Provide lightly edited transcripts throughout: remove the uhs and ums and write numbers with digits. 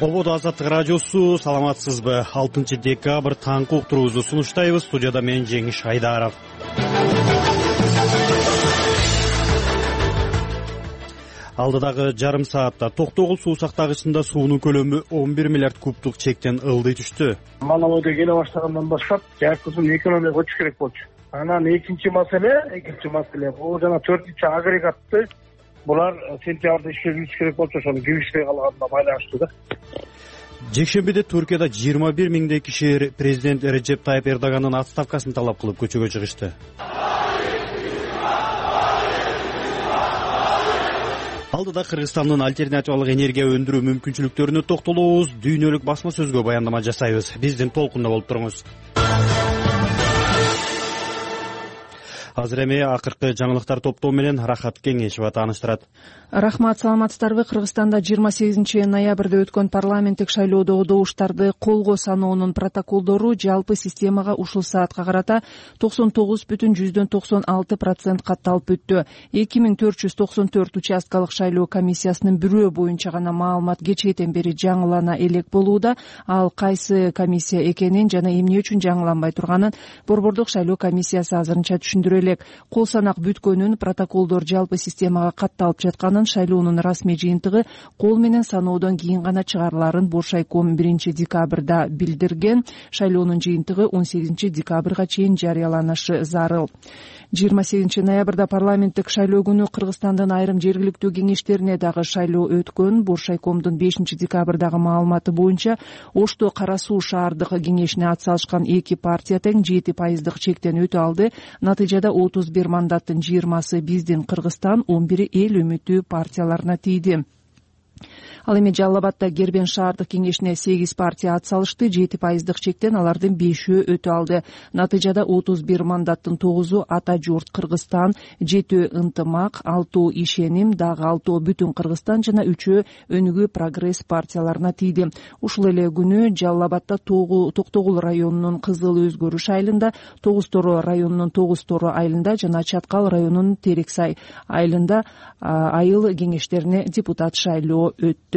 Ободо Азаттык радиосу, саламатсызбы? 6 декабрь таңкы уктуруубузду сунуштайбыз. Студияда мен Жеңиш Айдаров. Алдыдагы жарым саатта Токтогул суу сактагычында суунун көлөмү 11 миллиард кубтук чектен ылдый түштү. Мана ойдо келе баштагандан баштап жайкызын экономияга өтүш керек болчу. Анан экинчи маселе бул жана 4-чү агрегатты булар сентябрда иштетилиш керек болчу, ошону киргизбей калганына байланыштуу да. Жекшембиде Түркияда 21 миңдей киши президент Режеп Тайып Эрдоганын отставкасын талап кылып көчөгө чыгышты. Алдыда Кыргызстандын альтернативалык энергия өндүрүү мүмкүнчүлүктөрүнө токтолобуз, дүйнөлүк басма сөзгө баяндама жасайбыз. Биздин толкунда болуп туруңуз. Азыр эми акыркы жаңылыктар топтоо менен Рахат Кеңешова тааныштырат. Рахмат, саламатсыздарбы? Кыргызстанда 28 ноябрда өткөн парламенттик шайлоодогу добуштарды колго саноонун протоколдору жалпы системага ушул саатка карата 99,96% катталып бүттү. 2494 участкалык шайлоо комиссиясынын бирөө боюнча гана маалымат кечээден бери жаңылана элек болууда. Ал кайсы комиссия экенин жана эмне үчүн жаңыланбай турганын Борбордук шайлоо комиссиясы азырынча түшүндүрө элек. Кол санак бүткөнүн, протоколдор жалпы системага катталып жатканын, шайлоонун расмий жыйынтыгы кол менен саноодон кийин гана чыгарыларын Боршайком 1 декабрда билдирген. Шайлоонун жыйынтыгы 18 декабрга чейин жарыяланышы зарыл. 28 ноябрда парламенттик шайлоо күнү Кыргызстандын айрым жергиликтүү кеңештерине дагы шайлоо өткөн. Боршайкомдун 5 декабрдагы маалыматы боюнча Ошто Кара Суу шаардык кеңешине атсалышкан 2 партия тең 7% чектен өтө алды. Натыйжада 31 мандаттын 20-сы биздин Кыргызстан, 11 эл үмүтү партияларына тийди. Ал эми Жалал Абадда Кербен шаардык кеңешине 8 партия атсалышты, 7% чектен алардын 5-өө өтө алды. Натыйжада 31 мандаттын 9-у Ата журт Кыргызстан, 7-өө Ынтымак, 6-өө Ишеним, дагы 6-өө Бүтүн Кыргызстан жана 3-өө Өнүгүү Прогресс партияларына тийди. Ушул эле күнү Жалал Абадда Токтогул районунун Кызыл Өзгөрүш айылында, Тогуз Торо районунун Тогуз Торо айылында жана Чаткал районунун Терексай айылында айыл кеңештерине депутат шайлоо өттү.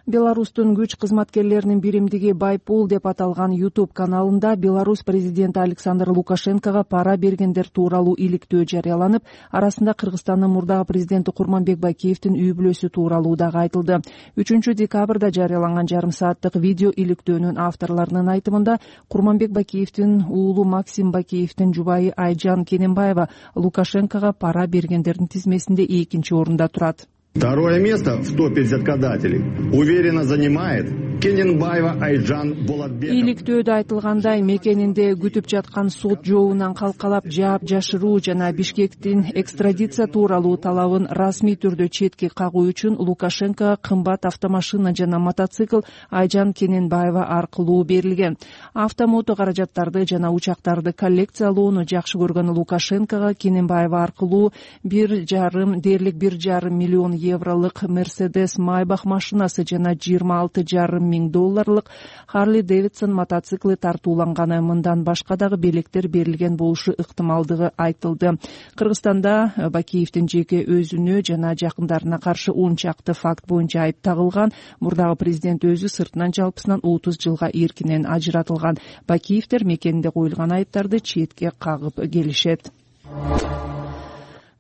Беларустун күч кызматкерлеринин биримдиги Байпул деп аталган YouTube каналында Беларусь президенти Александр Лукашенкого пара бергендер тууралуу иликтөө жарыяланып, арасында Кыргызстандын мурдагы президенти Курманбек Бакиевдин үй бүлөсү тууралуу дагы айтылды. 3 декабрда жарыяланган жарым сааттык видео иликтөөнүн авторлорунун айтымында Курманбек Бакиевдин уулу Максим Бакиевдин жубайы Айжан Кененбаева Лукашенкого пара бергендердин тизмесинде 2-чи орунда турат. Второе место в топе взяткодателей уверенно занимает Кененбаева Айжан Болотбекова. Иликтөөдө айтылгандай, мекенинде күтүп жаткан сот жообунан калкалап жаап жашыруу жана Бишкектин экстрадиция тууралуу талабын расмий түрдө четке кагуу үчүн Лукашенко кымбат автомашина жана мотоцикл Айжан Кененбаева аркылуу берилген. Автомото каражаттарды жана учактарды коллекциялоону жакшы көргөн Лукашенкого Кененбаева аркылуу 1,5 миллион евролук Mercedes Maybach машинасы жана 26,5 миң долларлык Harley Davidson мотоциклы тартууланганы, мындан башка дагы белектер берилген болушу ыктымалдыгы айтылды. Кыргызстанда Бакиевдин жеке өзүнө жана жакындарына каршы 10 чакты факт боюнча айып тагылган. Мурдагы президент өзү сыртынан жалпысынан 30 жылга эркинен ажыратылган. Бакиевдер мекенинде коюлган айыптарды четке кагып келишет.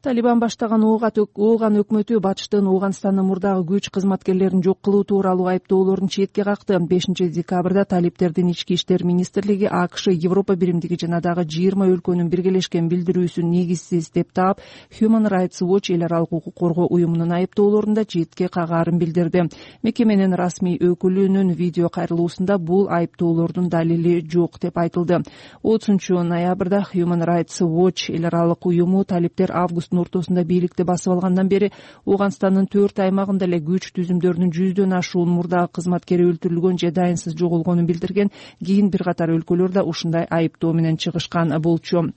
Талибан баштаган ооган өкмөтү батыштын Ооганстандын мурдагы күч кызматкерлерин жок кылуу тууралуу айыптоолорун четке какты. 5 декабрда талиптердин ички иштер министрлиги АКШ, Европа биримдиги жана дагы 20 өлкөнүн биргелешкен билдирүүсүн негизсиз деп таап, Human Rights Watch эл аралык укук коргоо уюмунун айыптоолорунда четке кагаарын билдирди. Мекеменин расмий өкүлүнүн видео кайрылуусунда бул айыптоолордун далили жок деп айтылды. 30 ноябрда Human Rights Watch эл аралык уюму талиптер августтун ортосунда бийликти басып алгандан бери Ооганстандын 4 аймагында эле күч түзүмдөрүнүн 100дөн ашуун мурдагы кызматкери өлтүрүлгөн же дайынсыз жоголгонун билдирген. Кийин бир катар өлкөлөр да ушундай айыптоо менен чыгышкан болчу.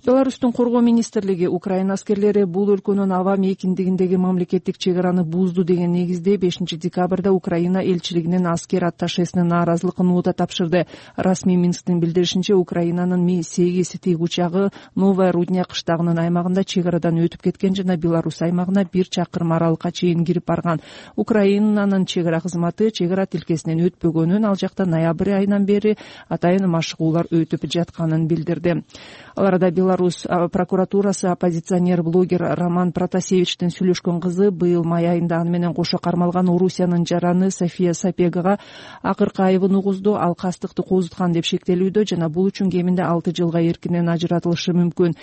Беларустун коргоо министрлиги Украина аскерлери бул өлкөнүн аба мейкиндигиндеги мамлекеттик чек араны бузду деген негизде 5 декабрда Украина элчилигинин аскер атташесине нааразылык нота тапшырды. Расмий Минсктин билдиришинче, Украинанын Ми-8 тиги учагы Новая Рудня кыштагынын аймагында чек арадан өтүп кеткен жана Беларусь аймагына 1 чакырым аралыкка чейин кирип барган. Украинанын чек ара кызматы чек ара тилкесинен өтпөгөнүн, ал жакта ноябрь айынан бери атайын машыгуулар өтүп жатканын билдирди. Ал арада Беларусь прокуратурасы оппозиционер-блогер Роман Протасевичтин сүйлөшкөн кызы быйыл май айында аны менен кошо кармалган Орусиянын жараны София Сапегага акыркы айыбын угузду. Ал кастыкты козуткан деп шектелүүдө жана бул үчүн кеминде 6 жылга эркинен ажыратылышы мүмкүн.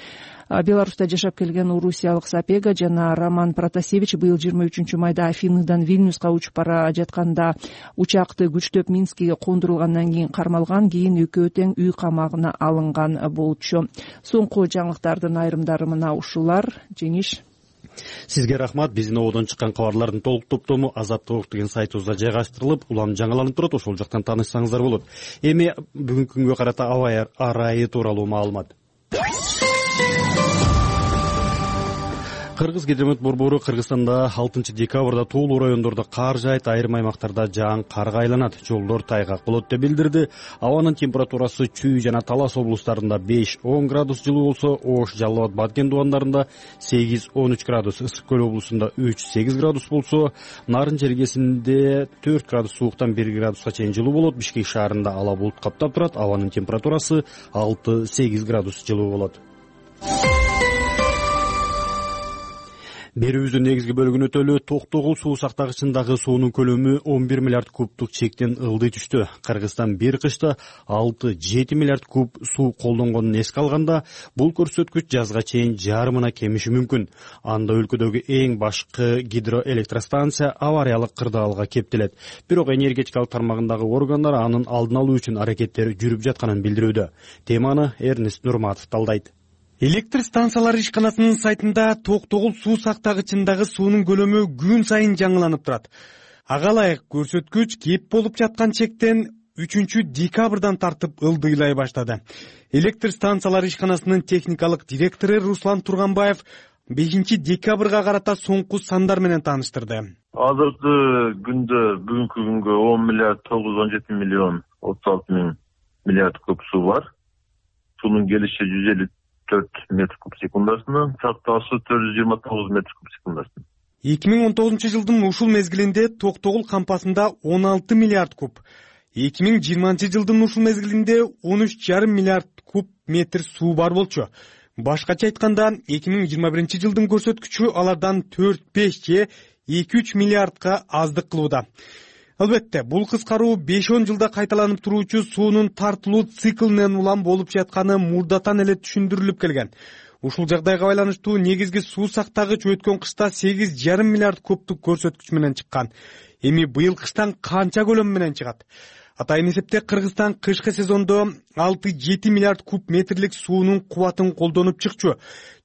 Беларуста жашап келген орусиялык Сапега жана Роман Протасевич быйыл 23 майда Афиныдан Вильнюска учуп бара жатканда учакты күчтөп Минскиге кондурулгандан кийин кармалган, кийин экөө тең үй камагына алынган болчу. Соңку жаңылыктардын айрымдары мына ушулар. Жеңиш. Сизге рахмат. Биздин ободон чыккан кабарлардын толук топтому Азаттык деген сайтыбызда жайгаштырылып, улам жаңыланып турат. Ошол жактан таанышсаңыздар болот. Эми бүгүнкү күнгө карата аба ырайы тууралуу маалымат. Кыргыз-Гидромет борбору Кыргызстанда 6 декабрда тоолуу райондордо кар жаайт, айрым аймактарда жаан карга айланат, жолдор тайгак болот деп билдирди. Абанын температурасы Чүй жана Талас облустарында 5-10 градус жылуу болсо, Ош, Жалал Абад, Баткен дубандарында 8-13 градус, Ысык көл облусунда 3-8 градус болсо, Нарын жергесинде 4 градус сууктан 1 градуска чейин жылуу болот. Бишкек шаарында ала булут каптап турат, абанын температурасы 6-8 градус жылуу болот. Берүүбүздүн негизги бөлүгүн өтөлү. Токтогул суу сактагычындагы суунун көлөмү 11 миллиард кубтук чектен ылдый түштү. Кыргызстан бир кышта 6-7 миллиард куб суу колдонгонун эске алганда, бул көрсөткүч жазга чейин жарымына кемиши мүмкүн. Анда өлкөдөгү эң башкы гидроэлектростанция авариялык кырдаалга кептелет. Бирок энергетикалык тармагындагы органдар анын алдын алуу үчүн аракеттер жүрүп жатканын билдирүүдө. Теманы Эрнест Нурматов талдайт. Электр станциялары ишканасынын сайтында токтогул суу сактагычындагы суунун көлөмү күн сайын жаңыланып турат. Ага ылайык көрсөткүч кеп болуп жаткан чектен 3 декабрдан тартып ылдыйлай баштады. Электр станциялары ишканасынын техникалык директору Руслан Турганбаев 5 декабрга карата соңку сандар менен тааныштырды. Азыркы күндө бүгүнкү күнгө 10 миллиард 917 миллион 36 миң миллиард куб суу бар. Суунун келиши 154 метр куб секундасына, сактаасы 429 метр куб секундасына. 2019 жылдын ушул мезгилинде Токтогул кампасында 16 миллиард куб, 2020 жылдын ушул мезгилинде 13,5 миллиард куб метр суу бар болчу. Башкача айтканда, 2021 жылдын көрсөткүчү алардан 4-5 же 2-3 миллиардка аздык кылууда. Албетте, бул кыскаруу 5-10 жылда кайталанып туруучу суунун тартылуу циклинен улам болуп жатканы мурдатан эле түшүндүрүлүп келген. Ушул жагдайга байланыштуу негизги суу сактагыч өткөн кышта 8,5 миллиард кубтук көрсөткүч менен чыккан. Эми быйыл кыштан канча көлөм менен чыгат? Атайын эсепте Кыргызстан кышкы сезондо 6-7 миллиард куб метрлик суунун кубатын колдонуп чыкчу.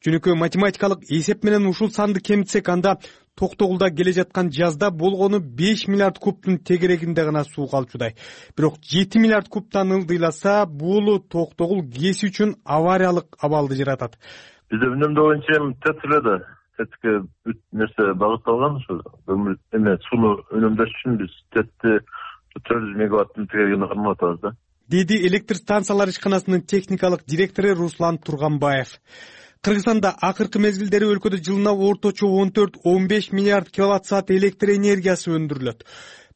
Жөнөкөй математикалык эсеп менен ушул санды кемитсек, анда Токтогулда келе жаткан жазда болгону 5 миллиард кубтун тегерегинде гана суу калчудай. Бирок 7 миллиард кубтан ылдыйласа, бул Токтогул ГЭС үчүн авариялык абалды жаратат. Бизде үнөмдөө боюнча тетиледи. Тетке нерсе багытталган ушу. Эме сууну үнөмдөш үчүн биз тетти 400 мегаваттын тегерегине карматабыз да. Деди электр станциялары ишканасынын техникалык директору Руслан Турганбаев. Кыргызстанда акыркы мезгилдери өлкөдө жылына орточо 14-15 миллиард киловатт саат электр энергиясы өндүрүлөт.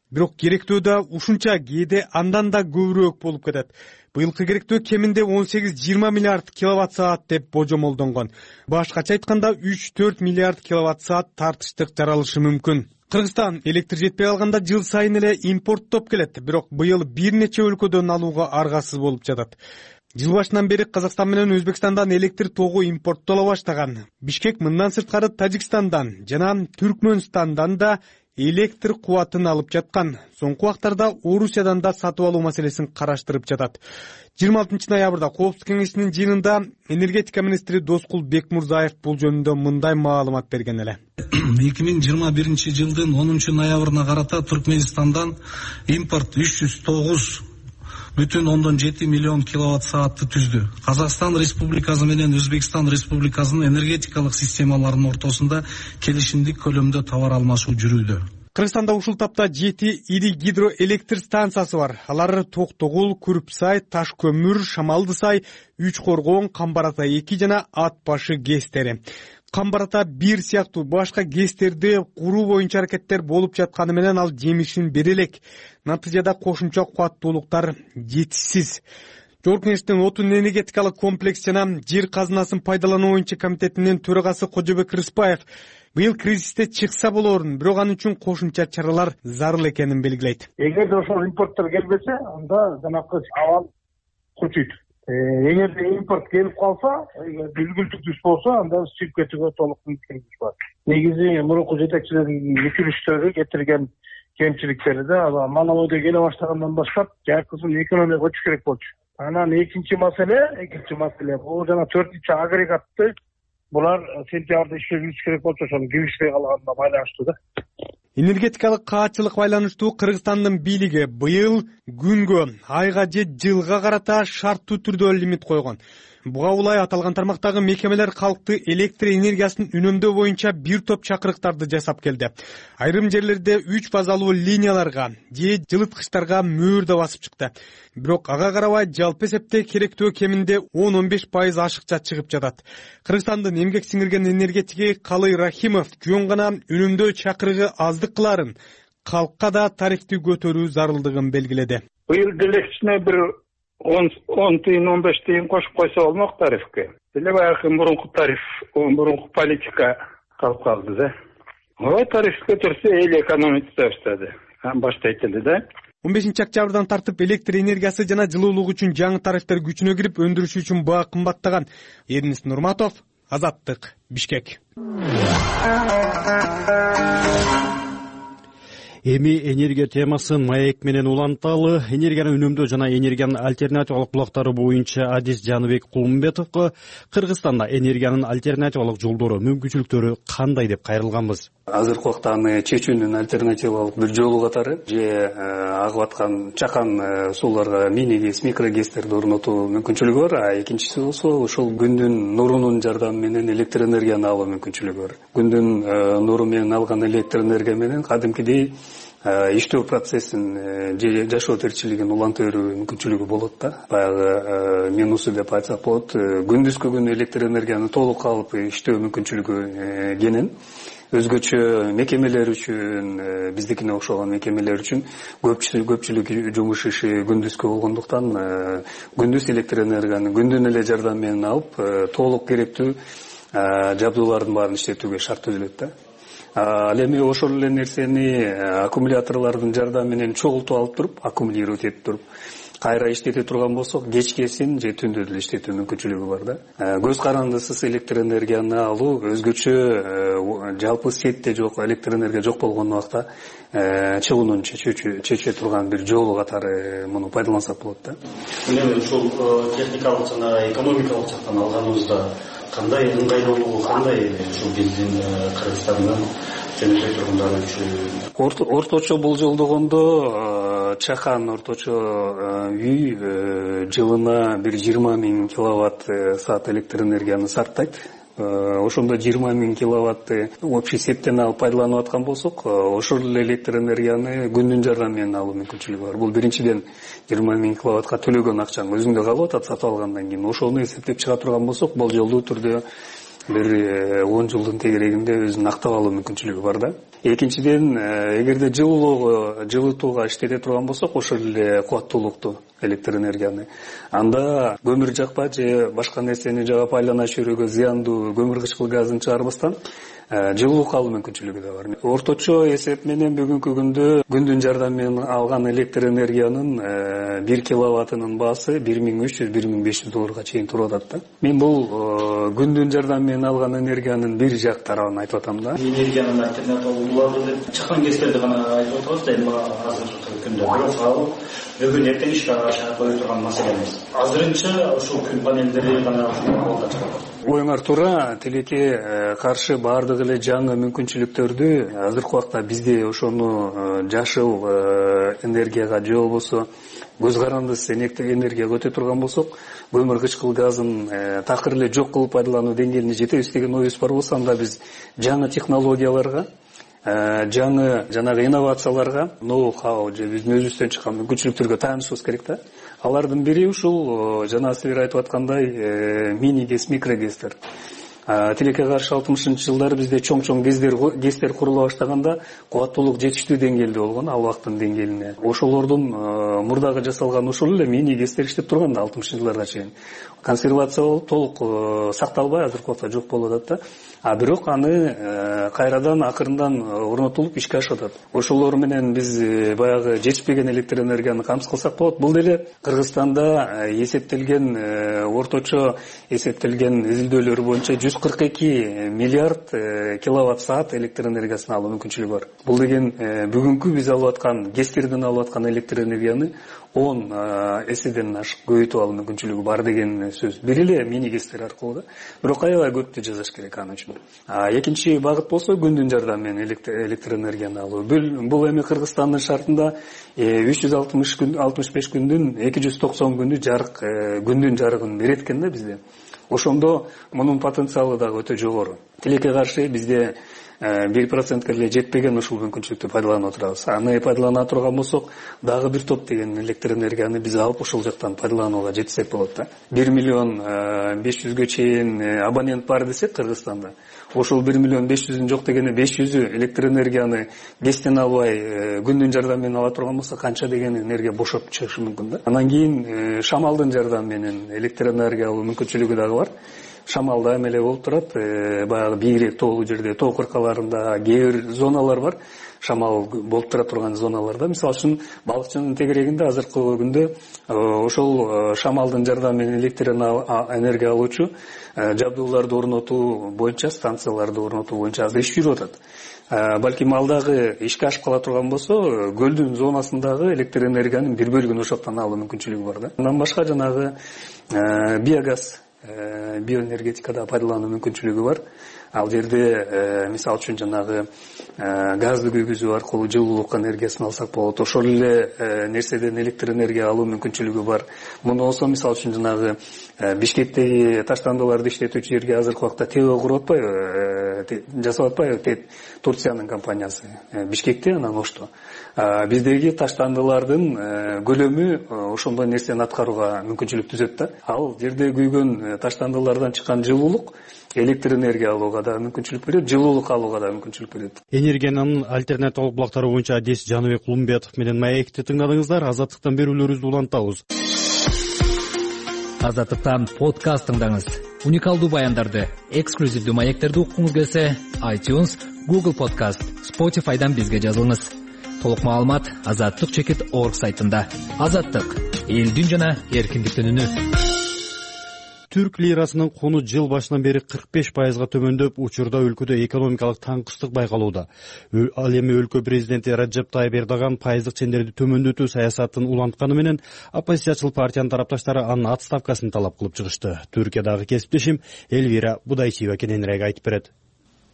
Бирок керектөө да ушунча, кээде андан да көбүрөөк болуп кетет. Быйылкы керектөө кеминде 18-20 миллиард киловатт саат деп божомолдонгон. Башкача айтканда 3-4 миллиард киловатт саат тартыштык жаралышы мүмкүн. Кыргызстан электр жетпей калганда жыл сайын эле импорттоп келет, бирок быйыл бир нече өлкөдөн алууга аргасыз болуп жатат. Жыл башынан бери Казакстан менен Өзбекстандан электр тогу импорттола баштаган. Бишкек мындан сырткары Тажикстандан жана Түркмөнстандан да электр кубатын алып жаткан. Соңку убактарда Орусиядан да сатып алуу маселесин караштырып жатат. 26 ноябрда Коопсуздук кеңешинин жыйынында энергетика министри Доскул Бекмурзаев бул жөнүндө мындай маалымат берген эле. 2021 жылдын 10 ноябрына карата Түркменистандан импорт 309 1,7 миллион киловатт саатты түздү. Казакстан Республикасы менен Өзбекстан Республикасынын энергетикалык системаларынын ортосунда келишимдик көлөмдө товар алмашуу жүрүүдө. Кыргызстанда ушул тапта 7 ири гидроэлектр станциясы бар. Алар Токтогул, Күрүпсай, Таш көмүр, Шамалдысай, Үч Коргон, Камбарата 2 жана Ат башы ГЭСтери. Камбарата 1 сыяктуу башка ГЭСтерде куруу боюнча аракеттер болуп жатканы менен ал жемишин бере элек. Натыйжада кошумча кубаттуулуктар жетишсиз. Жогорку Кеңештин отун энергетикалык комплекс жана жер казынасын пайдалануу боюнча комитетинин төрагасы Кожобек Рыспаев быйыл кризисте чыкса болоорун, бирок анын үчүн кошумча чаралар зарыл экенин белгилейт. Эгерде ошол импорттор келбесе, анда жанакы абал күчөйт. Эгерде импорт келип калса, үлгүлтүк түз болсо, анда сүйүп кетүүгө толук мүмкүнчүлүк бар. Негизи мурунку жетекчилердин өкүлүштөрү кетирген кемчиликтерди Малавойдо келе баштагандан баштап жайкысын экономияга көчүш керек болчу. Анан экинчи маселе бул жана 4-чү агрегатты булар сентябрда иштетилиш керек болчу, ошону киришпей калганына байланыштуу да. Энергетикалык каатчылык байланыштуу Кыргызстандын бийлиги быйыл күнгө, айга же жылга карата шарттуу түрдө лимит койгон. Буга улай аталган тармактагы мекемелер калкты электр энергиясын үнөмдөө боюнча бир топ чакырыктарды жасап келди. Айрым жерлерде 3 фазалуу линияларга же жылыткычтарга мөөр да басып чыкты. Бирок ага карабай жалпы эсепте керектөө кеминде 10-15% ашыкча чыгып жатат. Кыргызстандын эмгек сиңирген энергетиги Калый Рахимов жөн гана үнөмдөө чакырыгы аздык кыларын, калкка да тарифти көтөрүү зарылдыгын белгиледи. Быйыл деле кичине бир 10 тыйын 15 тыйын кошуп койсо болмок тарифке. Деле баягы мурунку тариф, мурунку политика калып калды да. Ой, тариф көтөрсө эл экономика баштады. Баштайт эле да. 15-октябрдан тартып электр энергиясы жана жылуулук үчүн жаңы тарифтер күчүнө кирип, өндүрүш үчүн баа кымбаттаган. Эрнис Нурматов, Азаттык, Бишкек. Эми энергия темасын маек менен уланталы. Энергияны үнөмдөө жана энергиянын альтернативалык булактары боюнча Адис Жаныбек Кулмбетовго Кыргызстанда энергиянын альтернативалык жолдору, мүмкүнчүлүктөрү кандай деп кайрылганбыз. Азыркы убакта аны чечүүнүн альтернативалык бир жолу катары же агып аткан чакан сууларга мини-ГЭС, микро-ГЭСтерди орнотуу мүмкүнчүлүгү бар. А экинчиси болсо ошол күндүн нурунун жардамы менен электр энергияны алуу мүмкүнчүлүгү бар. Күндүн нуру менен алган электр энергия менен кадимкидей иштөө процессин же жашоо тиричилигин уланта берүү мүмкүнчүлүгү болот да. Баягы минусу деп айтсак болот. Күндүзгү күн электр энергияны толук алып иштөө мүмкүнчүлүгү кенен. Өзгөчө мекемелер үчүн, биздикине окшогон мекемелер үчүн көпчүлүк жумуш иши күндүзгү болгондуктан күндүз электр энергияны күндүн эле жардамы менен алып толук керектүү жабдуулардын баарын иштетүүгө шарт түзүлөт да. Ал эми ошол эле нерсени аккумуляторлордун жардамы менен чогултуп алып туруп, аккумулировать этип туруп кайра иштете турган болсок, кечкесин же түндө деле иштетүү мүмкүнчүлүгү бар да. Көз карандысыз электр энергияны алуу өзгөчө жалпы сетте жок электр энергия жок болгон убакта чыгуунун чече турган бир жолу катары муну пайдалансак болот да. Эми ушул техникалык жана экономикалык жактан алганыбызда кандай ыңгайлуулугу, кандай ушул биздин Кыргызстандын жөнөкөй тургундары үчүн? Орточо болжолдогондо чакан орточо үй жылына бир 20 000 киловатт саат электр энергияны сарптайт. Ошондо 20 000 киловатты общий септен алып пайдаланып аткан болсок, ошол эле электр энергияны күндүн жардамы менен алуу мүмкүнчүлүгү бар. Бул биринчиден 20 000 киловаттка төлөгөн акчаң өзүңдө калып атат сатып алгандан кийин. Ошону эсептеп чыга турган болсок, болжолдуу түрдө бир 10 жылдын тегерегинде өзүн актап алуу мүмкүнчүлүгү бар да. Экинчиден, эгерде жылытууга иштете турган болсок, ошол эле кубаттуулукту электр энергияны анда көмүр жакпа же башка нерсени жагып айлана чөйрөгө зыяндуу көмүр кычкыл газын чыгарбастан жылуулук алуу мүмкүнчүлүгү да бар. Орточо эсеп менен бүгүнкү күндө күндүн жардамы менен алган электр энергиянын 1 киловаттынын баасы $1300–1500 чейин туруп атат да. Мен бул күндүн жардамы менен алган энергиянын бир жак тарабын айтып атам да. Энергиянын альтернативалары деп чакан кездерде гана айтып атабыз да, эми азыркы күндө бирок ал бүгүн эртең ишке кое турган маселе эмес. Азырынча ушул күн панелдери гана колдо чыгат. Оюңар туура, тилекке каршы баардык эле жаңы мүмкүнчүлүктөрдү азыркы убакта бизде ошону жашыл энергияга же болбосо көз карандысыз энергияга өтө турган болсок, көмүр кычкыл газын такыр эле жок кылып пайдалануу деңгээлине жетебиз деген оюбуз бар болсо, анда биз жаңы технологияларга, жаңы жанагы инновацияларга, ноу-хау же биздин өзүбүздөн чыккан мүмкүнчүлүктөргө таянышыбыз керек да. Алардын бири ушул жана силер айтып аткандай мини гэс, микрогестер. Тилекке каршы 60-жылдары бизде чоң гэстер курула баштаганда кубаттуулук жетиштүү деңгээлде болгон, ал убакыттын деңгээлине. Ошолордун мурдагы жасалган ушул эле мини гэстер иштеп турган да 60-жылдарга чейин. Консервация болуп толук сакталбай азыркы убакта жок болуп атат да. Бирок аны кайрадан акырындан орнотулуп ишке ашып атат. Ошолор менен биз баягы жетишпеген электр энергияны камсыз кылсак болот. Бул деле Кыргызстанда эсептелген орточо эсептелген изилдөөлөр боюнча 142 миллиард киловатт саат электр энергиясын алуу мүмкүнчүлүгү бар. Бул деген бүгүнкү биз алып аткан гэстерден алып аткан электр энергияны 10 эседен ашык көбөйтүп алуу мүмкүнчүлүгү бар деген сөз. Бир эле мини гэстер аркылуу да. Бирок аябай көптү жасаш керек аны үчүн. Экинчи багыт болсо күндүн жардамы менен электр энергияны алуу. Бул эми Кыргызстандын шартында 365 күндүн 290 күндү жарык, күндүн жарыгын берет экен да бизде. Ошондо мунун потенциалы дагы өтө жогору. Тилекке каршы бизде 1%ке эле жетпеген ушул мүмкүнчүлүктү пайдаланып турабыз. Аны пайдалана турган болсок, дагы бир топ деген электр энергияны биз алып ошол жактан пайдаланууга жетсек болот да. 1 миллион 500гө чейин абонент бар десек Кыргызстанда. Ошол 1 миллион 500-үн жок дегене 500-ü электр энергияны гэстен албай күндүн жардамы менен ала турган болсо, канча деген энергия бошоп чыгышы мүмкүн да. Анан кийин шамалдын жардамы менен электр энергия алуу мүмкүнчүлүгү дагы бар. Шамалда эмеле болуп турат, баягы бийирээк тоолуу жерде, тоо кыркаларында кээ бир зоналар бар. Шамал болуп тура турган зоналарда, мисалы үчүн балыкчынын тегерегинде азыркы күндө ошол шамалдын жардамы менен электр энергия алуучу жабдууларды орнотуу боюнча, станцияларды орнотуу боюнча азыр иш жүрүп атат. Балким алдагы ишке ашып кала турган болсо, көлдүн зонасындагы электр энергиянын бир бөлүгүн ошоктон алуу мүмкүнчүлүгү бар да. Андан башка жанагы биогаз, биоэнергетикада пайдалануу мүмкүнчүлүгү бар. Ал жерде мисалы үчүн жанагы газды күйгүзүү аркылуу жылуулук энергиясын алсак болот. Ошол эле нерседен электр энергия алуу мүмкүнчүлүгү бар. Муну болсо мисалы үчүн жанагы Бишкектеги таштандыларды иштетүүчү жерге азыркы убакта ТЭО куруп атпайбы, жасап атпайбы Турциянын компаниясы Бишкекте, анан Ошто. Биздеги таштандылардын көлөмү ошондой нерсени аткарууга мүмкүнчүлүк түзөт да. Ал жерде күйгөн таштандылардан чыккан жылуулук электр энергия алууга да мүмкүнчүлүк берет, жылуулук алууга да мүмкүнчүлүк берет. Энергиянын альтернативалык булактары боюнча адис Жаныбек Кулумбетов менен маекти тыңдадыңыздар. Азаттыктан берүүлөрүбүздү улантабыз. Азаттыктан подкаст тыңдаңыз. Уникалдуу баяндарды, эксклюзивдүү маектерди уккуңуз келсе, iTunes, Google Podcast, Spotify'дан бизге жазылыңыз. Толук маалымат azatlyk.org сайтында. Азаттык — элдин жана эркиндиктин үнү. Түрк лирасынын куну жыл башынан бери 45%га төмөндөп, учурда өлкөдө экономикалык таңкыстык байкалууда. Ал эми өлкө президенти Раджеп Тайып Эрдоган пайыздык чендерди төмөндөтүү саясатын улантканы менен оппозициячыл партиянын тарапташтары анын отставкасын талап кылып чыгышты. Түркиядагы кесиптешим Эльвира Будайчиева кененирээк айтып берет.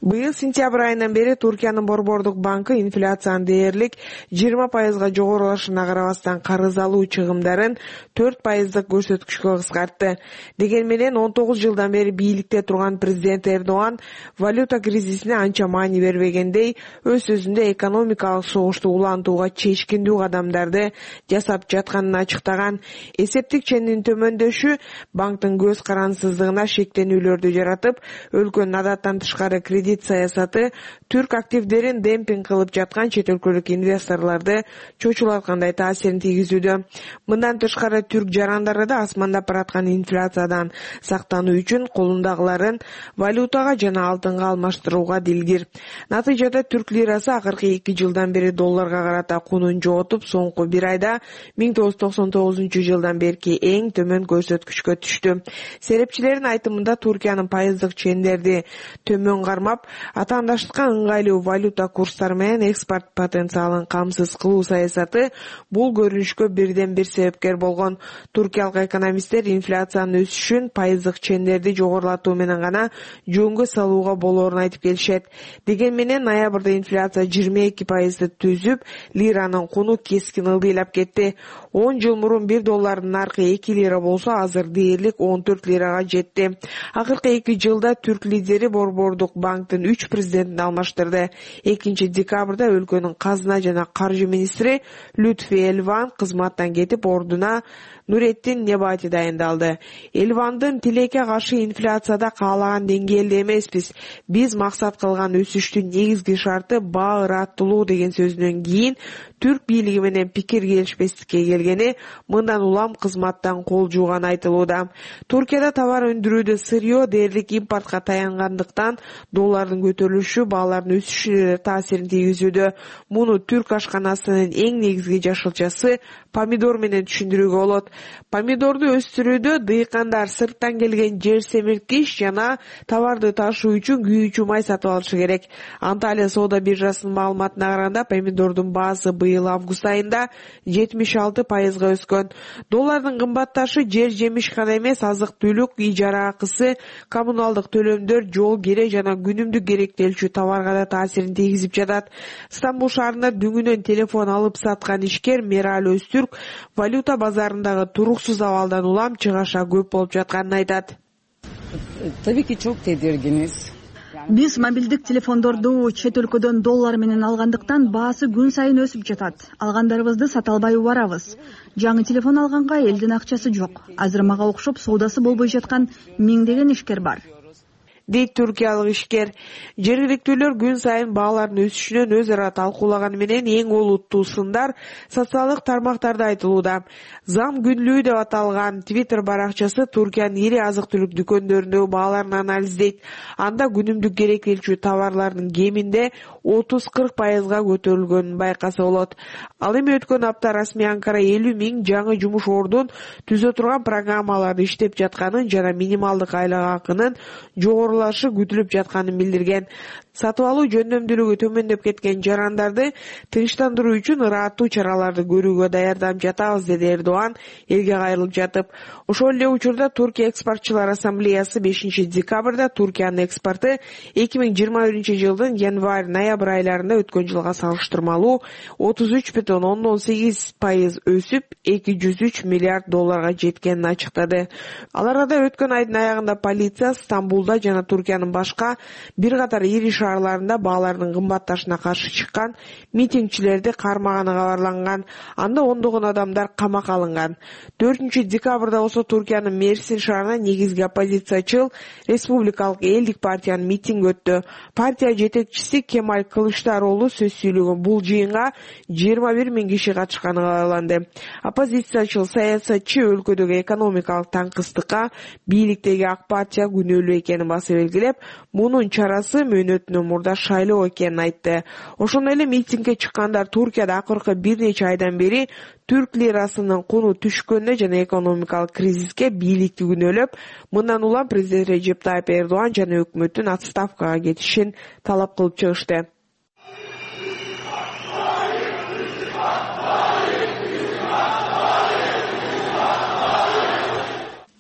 Быйыл сентябрь айынан бери Туркиянын Борбордук банкы инфляциянын дээрлик 20%га жогорулашына карабастан карыз алуу чыгымдарын 4%дык көрсөткүчкө кыскартты. Деген менен 19 жылдан бери бийликте турган президент Эрдоган валюта кризисине анча маани бербегендей, өз сөзүндө экономикалык согушту улантууга чечкиндүү кадамдарды жасап жатканын ачыктаган. Эсептик чендин төмөндөшү банктын көз карансыздыгына шектенүүлөрдү жаратып, өлкөнүн адаттан тышкары кредит саясаты түрк активдерин демпинг кылып жаткан чет өлкөлүк инвесторлорду чочулаткандай таасирин тийгизүүдө. Мындан тышкары түрк жарандары да асмандап бараткан инфляциядан сактануу үчүн колундагыларын валютага жана алтынга алмаштырууга дилгир. Натыйжада түрк лирасы акыркы 2 жылдан бери долларга карата кунун жоготуп, соңку бир айда 1999 жылдан берки эң төмөн көрсөткүчкө түштү. Серепчилердин айтымында Туркиянын пайыздык чендерди төмөн кармап, каттап, атаандаштыкка ыңгайлуу валюта курстары менен экспорт потенциалын камсыз кылуу саясаты бул көрүнүшкө бирден бир себепкер болгон. Туркиялык экономисттер инфляциянын өсүшүн пайыздык чендерди жогорулатуу менен гана жөнгө салууга болоорун айтып келишет. Деген менен ноябрда инфляция 22% түзүп, лиранын куну кескин ылдыйлап кетти. 10 жыл мурун $1 наркы 2 лира болсо, азыр дээрлик 14 лирага жетти. Акыркы 2 жылда түрк лидери Борбордук банктын 3 президентин алмаштырды. 2-декабрда өлкөнүн казына жана каржы министри Лютфи Элван кызматтан кетип, ордуна Нуретдин Небати дайындалды. Элвандын тилекке каршы инфляцияда каалаган деңгээлде эмеспиз. Биз максат кылган өсүштүн негизги шарты баа ыраттылуу деген сөзүнөн кийин түрк бийлиги менен пикир келишпестикке келгени, мындан улам кызматтан кол жууган айтылууда. Туркияда товар өндүрүүдө сырьё дээрлик импортко таянгандыктан доллардын көтөрүлүшү баалардын өсүшүнө таасирин тийгизүүдө. Муну түрк ашканасынын эң негизги жашылчасы помидор менен түшүндүрүүгө болот. Помидорду өстүрүүдө дыйкандар сырттан келген жер семирткич жана товарды ташуу үчүн күйүүчү май сатып алышы керек. Анталия соода биржасынын маалыматына караганда, помидордун баасы быйыл август айында 76% өскөн. Доллардын кымбатташы жер жемиш гана эмес, азык-түлүк, ижара акысы, коммуналдык төлөмдөр, жол кире жана күнүмдүк керектелчү товарга да таасирин тийгизип жатат. Стамбул шаарында дүңүнөн телефон алып саткан ишкер Мерал Өзтүрк валюта базарындагы туруксуз абалдан улам чыгаша көп болуп жатканын айтат. Tabii ki çok tedirginiz. Биз мобилдик телефондорду чет өлкөдөн доллар менен алгандыктан баасы күн сайын өсүп жатат. Алгандарыбызды сата албай убарабыз. Жаңы телефон алганга элдин акчасы жок. Азыр мага окшоп соодасы болбой жаткан миңдеген ишкер бар, дейт туркиялык ишкер. Жергиликтүүлөр күн сайын баалардын өсүшүнөн өз ара талкуулаганы менен эң олуттуу сындар социалдык тармактарда айтылууда. Зам күнлүү деп аталган Twitter баракчасы Туркиянын ири азык-түлүк дүкөндөрүндөгү бааларын анализдейт. Анда күнүмдүк керектелчү товарлардын кеминде 30-40%га көтөрүлгөнүн байкаса болот. Ал эми өткөн апта расмий Анкара 50 000 жаңы жумуш ордун түзө турган программаларды иштеп жатканын жана минималдык айлык акынын жогорулашы күтүлүп жатканын билдирген. Сатып алуу жөндөмдүүлүгү төмөндөп кеткен жарандарды тынчтандыруу үчүн ыраттуу чараларды көрүүгө даярданып жатабыз, деди Эрдоган элге кайрылып жатып. Ошол эле учурда Туркия экспортчулар ассамблеясы 5-декабрда Туркиянын экспорты 2021-жылдын январь-ноябрь айларында өткөн жылга салыштырмалуу 33,18% өсүп, $203 миллиард жеткенин ачыктады. Ал арада өткөн айдын аягында полиция Стамбулда жана Туркиянын башка бир катар ири шаарларында баалардын кымбатташына каршы чыккан митингчилерди кармаганы кабарланган. Анда ондогон адамдар камакка алынган. 4-декабрда болсо Туркиянын Мерсин шаарында негизги оппозициячыл Республикалык элдик партиянын митинги өттү. Партия жетекчиси Кемаль Кылычдароğlu сөз сүйлөгөн бул жыйынга 21 000 киши катышканы кабарланды. Оппозициячыл саясатчы өлкөдөгү экономикалык таңкыстыкка бийликтеги ак партия күнөөлүү экенин баса белгилеп, мунун чарасы мөөнөтүнөн мурда шайлоо экенин айтты. Ошондой эле митингге чыккандар Туркияда акыркы бир нече айдан бери түрк лирасынын куну түшкөнүнө жана экономикалык кризиске бийликти күнөөлөп, мындан улам президент Режеп Тайып Эрдоган жана өкмөттүн отставкага кетишин талап кылып чыгышты.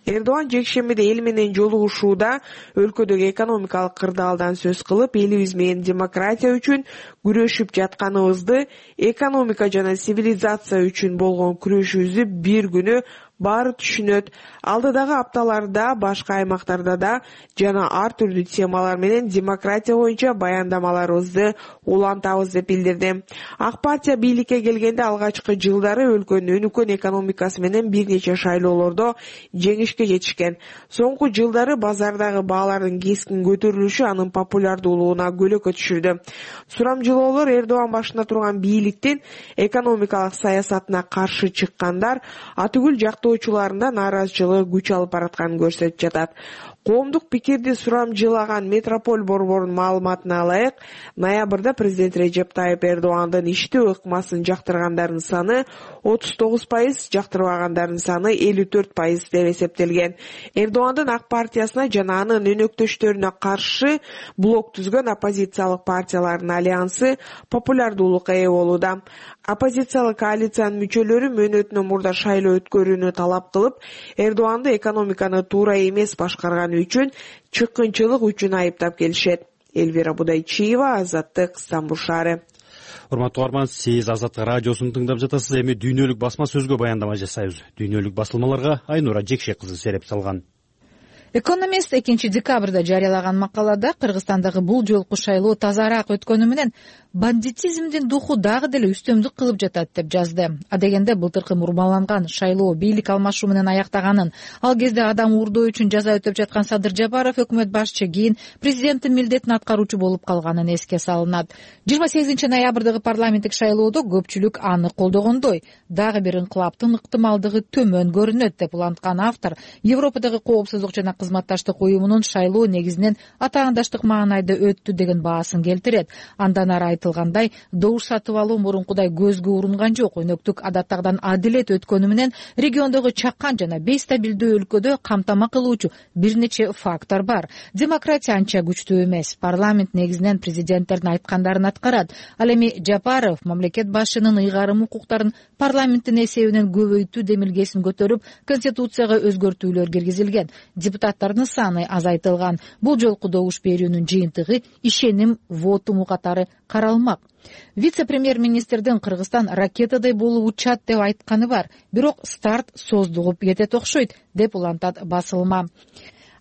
Эрдоган жекшембиде эл менен жолугушууда өлкөдөгү экономикалык кырдаалдан сөз кылып, элибиз менен демократия үчүн күрөшүп жатканыбызды, экономика жана цивилизация үчүн болгон күрөшүбүздү бир күнү баары түшүнөт. Алдыдагы апталарда башка аймактарда да жана ар түрдүү темалар менен демократия боюнча баяндамаларыбызды улантабыз деп билдирди. Ак партия бийликке келгенде алгачкы жылдары өлкөнүн өнүккөн экономикасы менен бир нече шайлоолордо жеңишке жетишкен. Соңку жылдары базардагы баалардын кескин көтөрүлүшү анын популярдуулугуна көлөкө түшүрдү. Сурамжылоолор Эрдоган башында турган бийликтин экономикалык саясатына каршы чыккандар, атүгүл жактуу каттоочуларында нааразычылык күч алып баратканын көрсөтүп жатат. Коомдук пикирди сурамжылаган Метрополь борборунун маалыматына алайык, ноябрда президент Режеп Тайып Эрдогандын иштөө ыкмасын жактыргандардын саны 39%, жактырбагандардын саны 54% деп эсептелген. Эрдогандын Ак партиясына жана анын өнөктөштөрүнө каршы блок түзгөн оппозициялык партиялардын альянсы популярдуулукка ээ болууда. Оппозициялык коалициянын мүчөлөрү мөөнөтүнөн мурда шайлоо өткөрүүнү талап кылып, Эрдоганды экономиканы туура эмес башкарганы үчүн чыккынчылык үчүн айыптап келишет. Элвира Будайчиева, Азаттык, Стамбул шаары. Урматтуу угарман, сиз Азаттык радиосун тыңдап жатасыз. Эми дүйнөлүк басма сөзгө баяндама жасайбыз. Дүйнөлүк басылмаларга Айнура Жекшек кызы сереп салган. Экономист 2 декабрда жарыялаган макалада Кыргызстандагы бул жолку шайлоо тазараак өткөнү менен бандитизмдин духу дагы деле үстөмдүк кылып жатат деп жазды. Адегенде былтыркы мурмаланган шайлоо бийлик алмашуу менен аяктаганын, ал кезде адам уурдоо үчүн жаза өтөп жаткан Садыр Жапаров өкмөт башчы кийин президенттин милдетин аткаруучу болуп калганын эске салынат. 28 ноябрдагы парламенттик шайлоодо көпчүлүк аны колдогондой, дагы бир инкылаптын ыктымалдыгы төмөн көрүнөт деп уланткан автор Европадагы коопсуздук жана кызматташтык уюмунун шайлоо негизинен атаандаштык маанайда өттү деген баасын келтирет. Андан ары айтылгандай, добуш сатып алуу мурункудай көзгө урунган жок. Өнөктүк адаттагыдан адилет өткөнү менен региондогу чакан жана бейстабилдүү өлкөдө камтама кылуучу бир нече фактор бар. Демократия анча күчтүү эмес. Парламент негизинен президенттердин айткандарын аткарат. Ал эми Жапаров мамлекет башчынын ыйгарым укуктарын парламенттин эсебинен көбөйтүү демилгесин көтөрүп, конституцияга өзгөртүүлөр киргизилген. Депутаттардын саны азайтылган. Бул жолку добуш берүүнүн жыйынтыгы ишеним вотуму катары каралмак. Вице-премьер-министрдин Кыргызстан ракетадай болуп учат деп айтканы бар, бирок старт создугуп кетет окшойт деп улантат басылма.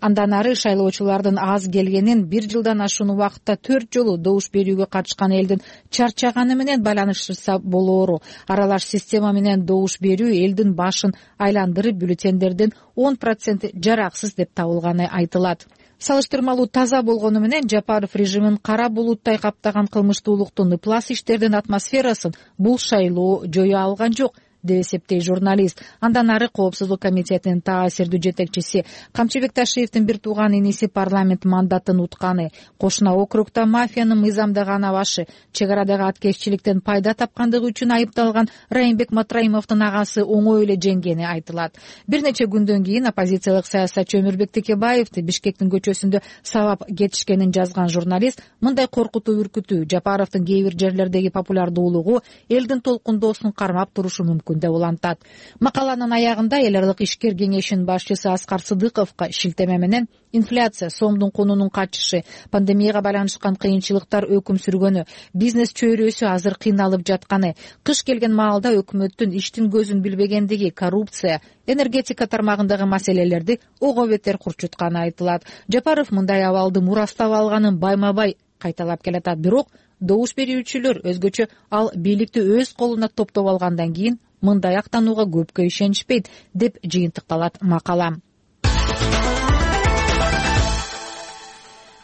Андан ары шайлоочулардын аз келгенин, 1 жылдан ашуун убакытта 4 жолу добуш берүүгө катышкан элдин чарчаганы менен байланыштырса болоору. Аралаш система менен добуш берүү элдин башын айландырып, бюллетендердин 10% жараксыз деп табылганы айтылат. Салыштырмалуу таза болгону менен Жапаров режимин кара булуттай каптаган кылмыштуулуктун, ыплас иштердин атмосферасын бул шайлоо жое алган жок деп эсептейт журналист. Андан ары Коопсуздук комитетинин таасирдүү жетекчиси Камчыбек Ташиевдин бир тууган иниси парламент мандатын утканы, кошуна округда мафиянын мыйзамдаган абашы, чек арадагы аткезчиликтен пайда тапкандыгы үчүн айыпталган Райымбек Матраимовдун агасы оңой эле жеңгени айтылат. Бир нече күндөн кийин оппозициялык саясатчы Өмүрбек Текебаевди Бишкектин көчөсүндө сабап кетишкенин жазган журналист мындай коркутуу үркүтүү Жапаровдун кээ бир жерлердеги популярдуулугу элдин толкундоосун кармап турушу мүмкүн деп улантат. Макаланын аягында эл аралык ишкер кеңешинин башчысы Аскар Сыдыковго шилтеме менен инфляция, сомдун кунунун качышы, пандемияга байланышкан кыйынчылыктар өкүм сүргөнү, бизнес чөйрөсү азыр кыйналып жатканы, кыш келген маалда өкмөттүн иштин көзүн билбегендиги, коррупция, энергетика тармагындагы маселелерди ого бетер курчутканы айтылат. Жапаров мындай абалды мурастап алганын байма-бай кайталап келатат, бирок добуш берүүчүлөр өзгөчө ал бийликти өз колуна топтоп алгандан кийин мындай актанууга көпкө ишенишпейт деп жыйынтыкталат макала.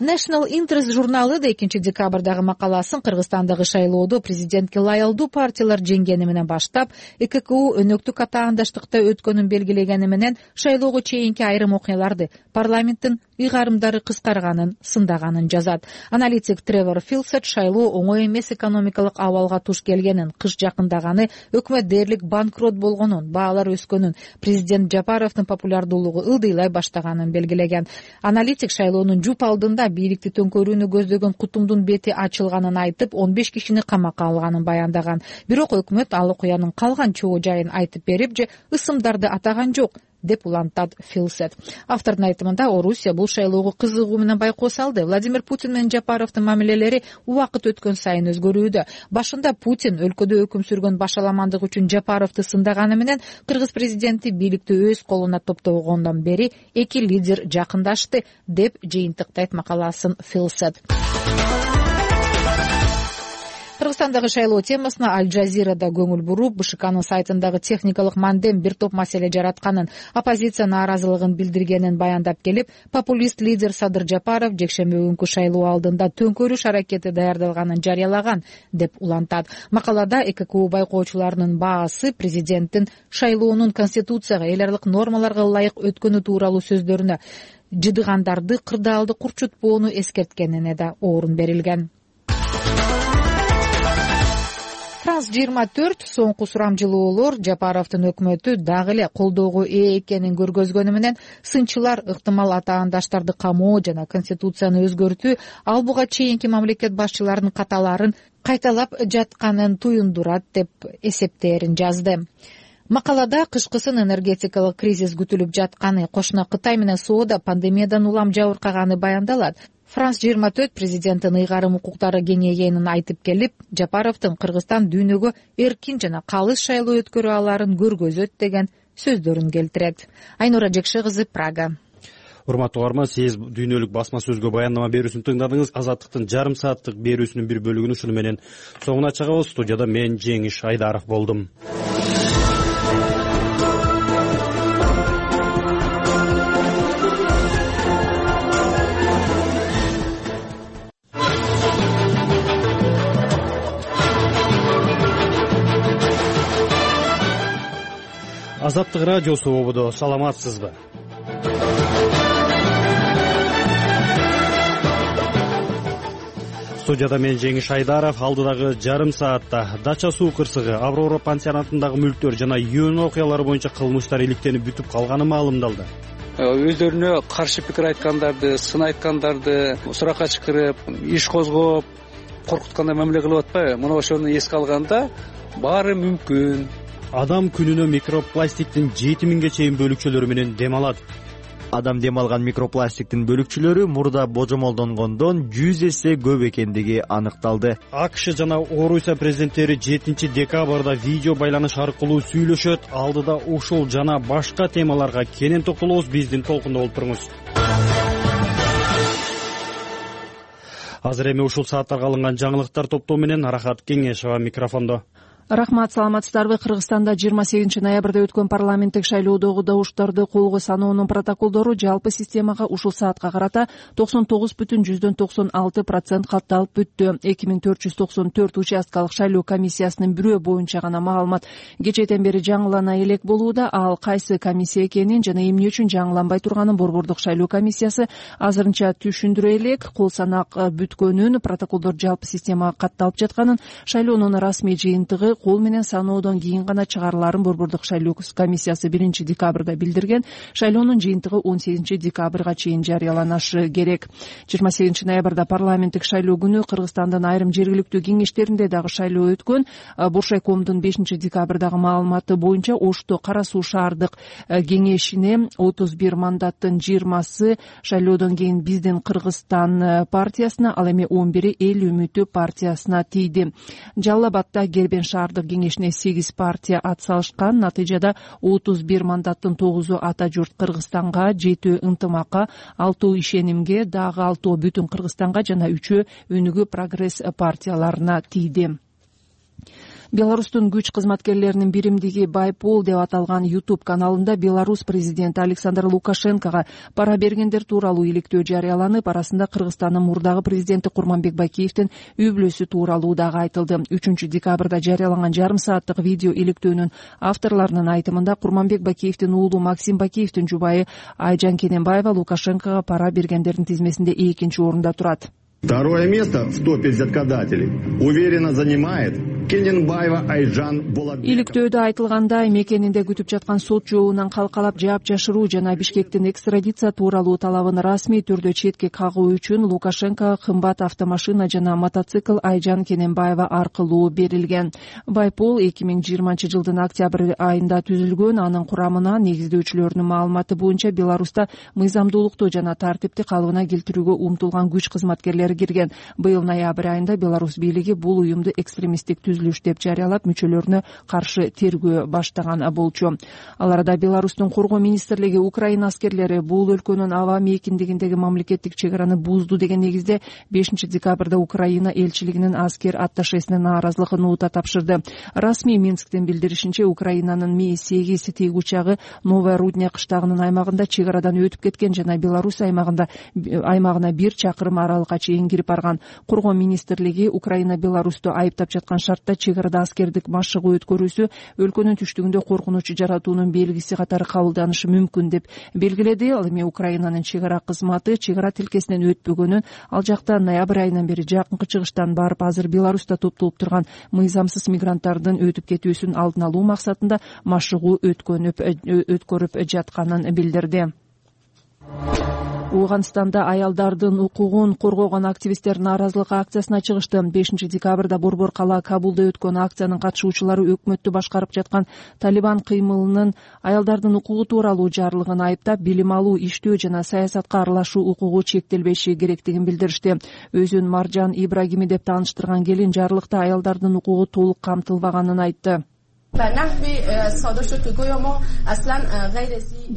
National Interest журналы да 2 декабрдагы макаласын Кыргызстандагы шайлоодо президентке лаялдуу партиялар жеңгени менен баштап, ЭККУ өнөктүк атаандаштыкта өткөнүн белгилегени менен шайлоого чейинки айрым окуяларды парламенттин ыйгарымдары кыскарганын, сындаганын жазат. Аналитик Тревор Филсет шайлоо оңой эмес экономикалык абалга туш келгенин, кыш жакындаганы, өкмөт дээрлик банкрот болгонун, баалар өскөнүн, президент Жапаровдун популярдуулугу ылдыйлай баштаганын белгилеген. Аналитик шайлоонун жуп алдында бийликти төңкөрүүнү көздөгөн кутумдун бети ачылганын айтып, 15 кишини камакка алганын баяндаган. Бирок өкмөт ал окуянын калган чоо жайын айтып берип же ысымдарды атаган жок деп улантат Филсет. Автордун айтымында Орусия бул шайлоого кызыгуу менен байкоо салды. Владимир Путин менен Жапаровдун мамилелери убакыт өткөн сайын өзгөрүүдө. Башында Путин өлкөдө өкүм сүргөн башаламандык үчүн Жапаровду сындаганы менен кыргыз президенти бийликти өз колуна топтогондон бери эки лидер жакындашты деп жыйынтыктайт макаласын Филсет. Кыргызстандагы шайлоо темасына Аль Жазирада көңүл буруп, БШКнын сайтындагы техникалык мандем бир топ маселе жаратканын, оппозиция нааразылыгын билдиргенин баяндап келип, популист лидер Садыр Жапаров жекшемби күнкү шайлоо алдында төңкөрүш аракети даярдалганын жарыялаган деп улантат. Макалада ЭККУ байкоочуларынын баасы президенттин шайлоонун конституцияга, эл аралык нормаларга ылайык өткөнү тууралуу сөздөрүнө жыдыгандарды кырдаалды курчутпоону эскерткенине да орун берилген. Франс 24 соңку сурамжылоолор Жапаровдун өкмөтү дагы эле колдоого ээ экенин көргөзгөнү менен сынчылар ыктымал атаандаштарды камоо жана конституцияны өзгөртүү ал буга чейинки мамлекет башчыларынын каталарын кайталап жатканын туюндурат деп эсептээрин жазды. Макалада кышкысын энергетикалык кризис күтүлүп жатканы, кошуна Кытай менен соода пандемиядан улам жабыркаганы баяндалат. Франс 24 президенттин ыйгарым укуктары кеңейгенин айтып келип, Жапаровдун Кыргызстан дүйнөгө эркин жана калыс шайлоо өткөрө аларын көргөзөт деген сөздөрүн келтирет. Айнура Жекше кызы, Прага. Урматтуу угарман, сиз дүйнөлүк басма сөзгө баяндама берүүсүн тыңдадыңыз. Азаттыктын жарым сааттык берүүсүнүн бир бөлүгүн ушуну менен соңуна чыгабыз. Студияда мен Жеңиш Айдаров болдум. Азаттык радиосу ободо, саламатсызбы? Студияда мен Жеңиш Айдаров. Алдыдагы жарым саатта Дача суу кырсыгы, Аврора пансионатындагы мүлктөр жана юун окуялары боюнча кылмыштар иликтенип бүтүп калганы маалымдалды. Өздөрүнө каршы пикир айткандарды, сын айткандарды суракка чакырып, иш козгоп, коркуткандай мамиле кылып атпайбы? Мына ошону эске алганда баары мүмкүн. Адам күнүнө микропластиктин 7000ге чейин бөлүкчөлөрү менен дем алат. Адам дем алган микропластиктин бөлүкчөлөрү мурда божомолдонгондон 100 эсе көп экендиги аныкталды. АКШ жана Орусия президенттери 7 декабрда видео байланыш аркылуу сүйлөшөт. Алдыда ушул жана башка темаларга кенен токтолобуз. Биздин толкунда болуп туруңуз. Азыр эми ушул сааттарга алынган жаңылыктар топтоо менен Арахат Кеңешова микрофондо. Рахмат, саламатсыздарбы? Кыргызстанда 28 ноябрда өткөн парламенттик шайлоодогу добуштарды колго саноонун протоколдору жалпы системага ушул саатка карата 99,96% катталып бүттү. 2494 участкалык шайлоо комиссиясынын бирөө боюнча гана маалымат кечээден бери жаңылана элек болууда. Ал кайсы комиссия экенин жана эмне үчүн жаңыланбай турганын Борбордук шайлоо комиссиясы азырынча түшүндүрө элек. Кол санак бүткөнүн, протоколдор жалпы системага катталып жатканын, шайлоонун расмий жыйынтыгы кол менен саноодон кийин гана чыгарыларын Борбордук шайлоо комиссиясы 1 декабрда билдирген. Шайлоонун жыйынтыгы 18 декабрга чейин жарыяланышы керек. 28 ноябрда парламенттик шайлоо күнү Кыргызстандын айрым жергиликтүү кеңештеринде дагы шайлоо өткөн. Буршайкомдун 5 декабрдагы маалыматы боюнча Ошто Кара Суу шаардык кеңешине 31 мандаттын 20сы шайлоодон кийин Биздин Кыргызстан партиясына, ал эми 11 Эл үмүтү партиясына тийди. Жалал Абадда Кербен шаардык кеңешине 8 партия ат салышкан. Натыйжада 31 мандаттын 9-у ата журт Кыргызстанга, 7 ынтымакка, 6 ишенимге, дагы 6 бүтүн Кыргызстанга жана 3 өнүгүү прогресс партияларына тийди. Беларустун күч кызматкерлеринин биримдиги Байпол деп аталган YouTube каналында Беларусь президенти Александр Лукашенкого пара бергендер тууралуу иликтөө жарыяланып, арасында Кыргызстандын мурдагы президенти Курманбек Байкеевдин үй бүлөсү тууралуу дагы айтылды. 3 декабрда жарыяланган жарым сааттык видео иликтөөнүн авторлорунун айтымында Курманбек Байкеевдин уулу Максим Байкеевдин жубайы Айжан Кененбаева Лукашенкого пара бергендердин тизмесинде 2-нчи орунда турат. Второе место в топе взяткодателей уверенно занимает Кененбаева Айжан Болотбекова. Иликтөөдө айтылгандай, мекенинде күтүп жаткан сот жообунан калкалап жаап жашыруу жана Бишкектин экстрадиция тууралуу талабын расмий түрдө четке кагуу үчүн Лукашенко кымбат автомашина жана мотоцикл Айжан Кененбаева аркылуу берилген. Байпол 2020 жылдын октябрь айында түзүлгөн. Анын курамына негиздөөчүлөрүнүн маалыматы боюнча Беларуста мыйзамдуулукту жана тартипти калыбына келтирүүгө умтулган күч кызматкерлери кирген. Быйыл ноябрь айында Беларусь бийлиги бул уюмду экстремисттик түзүлүш деп жарыялап мүчөлөрүнө каршы тергөө баштаган болчу. Ал арада Беларустун коргоо министрлиги Украина аскерлери бул өлкөнүн аба мейкиндигиндеги мамлекеттик чек араны бузду деген негизде 5 декабрда Украина элчилигинин аскер атташесине нааразылык нота тапшырды. Расмий Минсктен билдиришинче, Украинанын Ми-8 тиги учагы Новая Рудня кыштагынын аймагында чек арадан өтүп кеткен жана Беларусь аймагына 1 чакырым аралыкка чейин кирип барган. Коргоо министрлиги Украина Беларусту айыптап жаткан шартта чек арада аскердик машыгуу өткөрүүсү өлкөнүн түштүгүндө коркунуч жаратуунун белгиси катары кабылданышы мүмкүн деп белгиледи. Ал эми Украинанын чек ара кызматы чек ара тилкесинен өтпөгөнүн, ал жакта ноябрь айынан бери жакынкы чыгыштан барып азыр Беларуста топтолуп турган мыйзамсыз мигранттардын өтүп кетүүсүн алдын алуу максатында машыгуу өткөрүп жатканын билдирди. Ооганстанда аялдардын укугун коргогон активисттер нааразылык акциясына чыгышты. 5 декабрда борбор кала Кабулда өткөн акциянын катышуучулары өкмөттү башкарып жаткан Талибан кыймылынын аялдардын укугу тууралуу жарлыгын айыптап, билим алуу, иштөө жана саясатка аралашуу укугу чектелбеши керектигин билдиришти. Өзүн Маржан Ибрагими деп тааныштырган келин жарлыкта аялдардын укугу толук камтылбаганын айтты.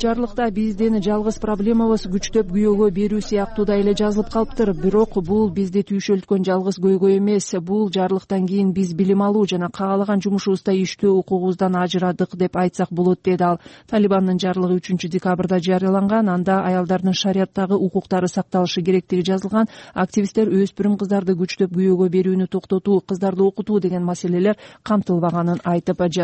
Жарлыкта биздин жалгыз проблемабыз күчтөп күйөөгө берүү сыяктуудай эле жазылып калыптыр. Бирок бул бизди түйшөлткөн жалгыз көйгөй эмес. Бул жарлыктан кийин биз билим алуу жана каалаган жумушубузда иштөө укугубуздан ажырадык деп айтсак болот, деди ал. Талибандын жарлыгы 3 декабрда жарыяланган. Анда аялдардын шарияттагы укуктары сакталышы керектиги жазылган. Активисттер өспүрүм кыздарды күчтөп күйөөгө берүүнү токтотуу, кыздарды окутуу деген маселелер камтылбаганын айтып жатышат.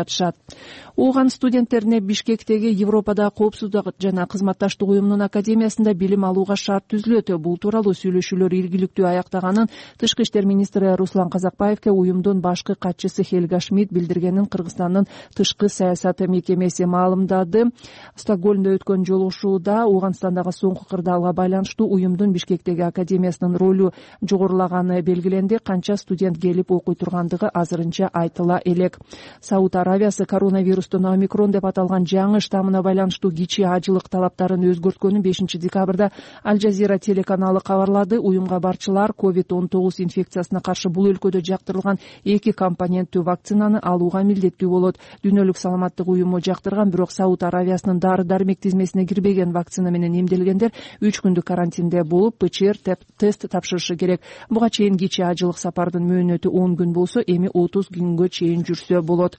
Ооган студенттерине Бишкектеги Европада коопсуздук жана кызматташтык уюмунун академиясында билим алууга шарт түзүлөт. Бул тууралуу сүйлөшүүлөр ийгиликтүү аяктаганын Тышкы иштер министри Руслан Казакбаевке уюмдун башкы катчысы Хельга Шмидт билдиргенин Кыргызстандын тышкы саясат мекемеси маалымдады. Стокгольмдо өткөн жолугушууда Ооганстандагы соңку кырдаалга байланыштуу уюмдун Бишкектеги академиясынын ролу жогорулаганы белгиленди. Канча студент келип окуй тургандыгы азырынча айтыла элек. Сауд Аравиясы коронавирустун омикрон деп аталган жаңы штаммына байланыштуу кичи ажылык талаптарын өзгөрткөнүн 5 декабрда Аль Жазира телеканалы кабарлады. Уюмга барчылар COVID-19 инфекциясына каршы бул өлкөдө жактырылган 2 компоненттүү вакцинаны алууга милдеттүү болот. Дүйнөлүк саламаттык уюму жактырган, бирок Сауд Аравиясынын дары-дармек тизмесине кирбеген вакцина менен эмделгендер 3 күндүк карантинде болуп, ПЧР тест тапшырышы керек. Буга чейин кичи ажылык сапардын мөөнөтү 10 күн болсо, эми 30 күнгө чейин жүрсө болот.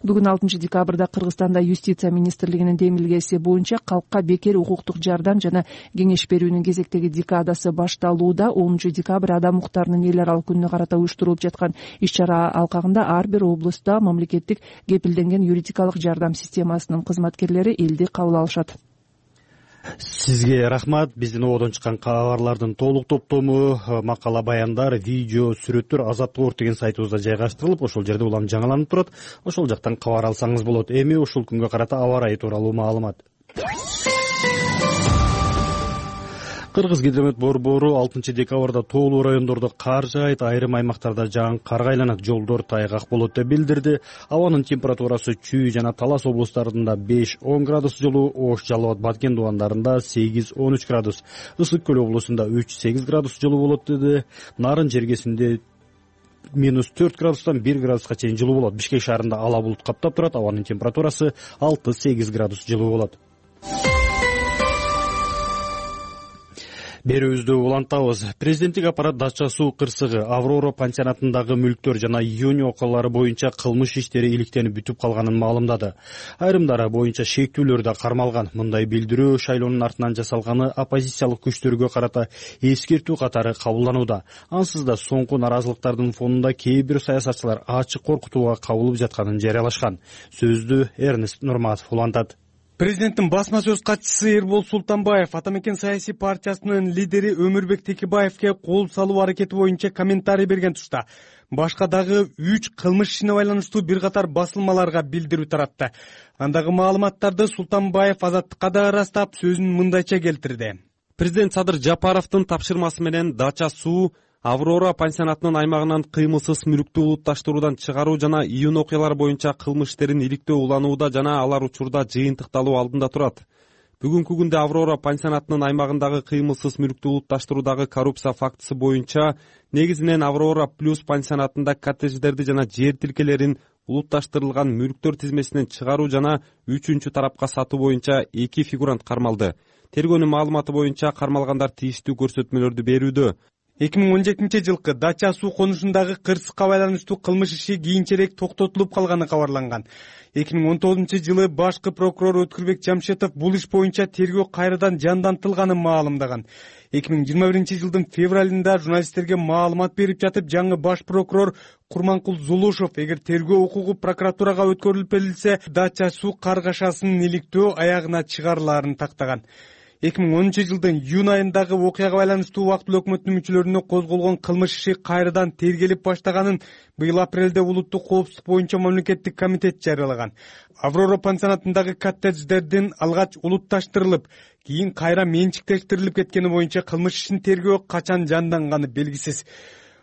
Бүгүн 6 декабрда Кыргызстанда юстиция министрлигинин демилгеси боюнча калкка бекер укуктук жардам жана кеңеш берүүнүн кезектеги декадасы башталууда. 10 декабрь адам укуктарынын эл аралык күнүнө карата уюштурулуп жаткан иш-чара алкагында ар бир облустта мамлекеттик кепилденген юридикалык жардам системасынын кызматкерлери элди кабыл алышат. Сизге рахмат. Биздин ободон чыккан кабарлардын толук топтому, макала, баяндар, видео, сүрөттөр Азаттык деген сайтыбызда жайгаштырылып, ошол жерде улам жаңыланып турат. Ошол жактан кабар алсаңыз болот. Эми ушул күнгө карата аба ырайы тууралуу маалымат. Кыргыз-Гидромет борбору 6 декабрда тоолуу райондордо кар жаайт, айрым аймактарда жаан карга айланат, жолдор тайгак болот деп билдирди. Абанын температурасы Чүй жана Талас облустарында 5-10 градус жылуу, Ош, Жалал Абад, Баткен дубандарында 8-13 градус, Ысык Көл облусунда 3-8 градус жылуу болот деди. Нарын жергесинде -4 градустан 1 градуска чейин жылуу болот. Бишкек шаарында ала булут каптап турат, абанын температурасы 6-8 градус жылуу болот. Берүүбүздү улантабыз. Президенттик аппарат Дача суу кырсыгы, Аврора пансионатындагы мүлктөр жана июнь окуялары боюнча кылмыш иштери иликтенип бүтүп калганын маалымдады. Айрымдары боюнча шектүүлөр да кармалган. Мындай билдирүү шайлоонун артынан жасалганы оппозициялык күчтөргө карата эскертүү катары кабылданууда. Ансыз да соңку наразылыктардын фонунда кээ бир саясатчылар ачык коркутууга кабылып жатканын жарыялашкан. Сөздү Эрнест Нурматов улантат. Президенттин басма сөз катчысы Эрбол Султанбаев Ата Мекен саясий партиясынын лидери Өмүрбек Текебаевке кол салуу аракети боюнча комментарий берген тушта башка дагы 3 кылмыш ишине байланыштуу бир катар басылмаларга билдирүү таратты. Андагы маалыматтарды Султанбаев Азаттыкка да ырастап, сөзүн мындайча келтирди. Президент Садыр Жапаровдун тапшырмасы менен Дача суу Аврора пансионатынын аймагынан кыймылсыз мүлктү улутташтыруудан чыгаруу жана июнь окуялары боюнча кылмыш иштерин иликтөө уланууда жана алар учурда жыйынтыкталуу алдында турат. Бүгүнкү күндө Аврора пансионатынын аймагындагы кыймылсыз мүлктү улутташтыруудагы коррупция фактысы боюнча негизинен Аврора плюс пансионатында коттедждерди жана жер тилкелерин улутташтырылган мүлктөр тизмесинен чыгаруу жана үчүнчү тарапка сатуу боюнча 2 фигурант кармалды. Тергөөнүн маалыматы боюнча кармалгандар тийиштүү көрсөтмөлөрдү берүүдө. 2017 жылкы Дача суу конушундагы кырсыкка байланыштуу кылмыш иши кийинчерээк токтотулуп калганы кабарланган. 2019 жылы башкы прокурор Өткүрбек Жамшетов бул иш боюнча тергөө кайрадан жандантылганын маалымдаган. 2021 жылдын февралында журналисттерге маалымат берип жатып, жаңы баш прокурор Курманкул Зулушов эгер тергөө укугу прокуратурага өткөрүлүп берилсе, Дача суу каргашасынын иликтөө аягына чыгарылаарын тактаган. 2010 жылдын июнь айындагы окуяга байланыштуу убактылуу өкмөттүн мүчөлөрүнө козголгон кылмыш иши кайрадан тергелип баштаганын быйыл апрелде улуттук коопсуздук боюнча мамлекеттик комитет жарыялаган. Аврора пансионатындагы коттедждердин алгач улутташтырылып, кийин кайра менчиктештирилип кеткени боюнча кылмыш ишин тергөө качан жанданганы белгисиз.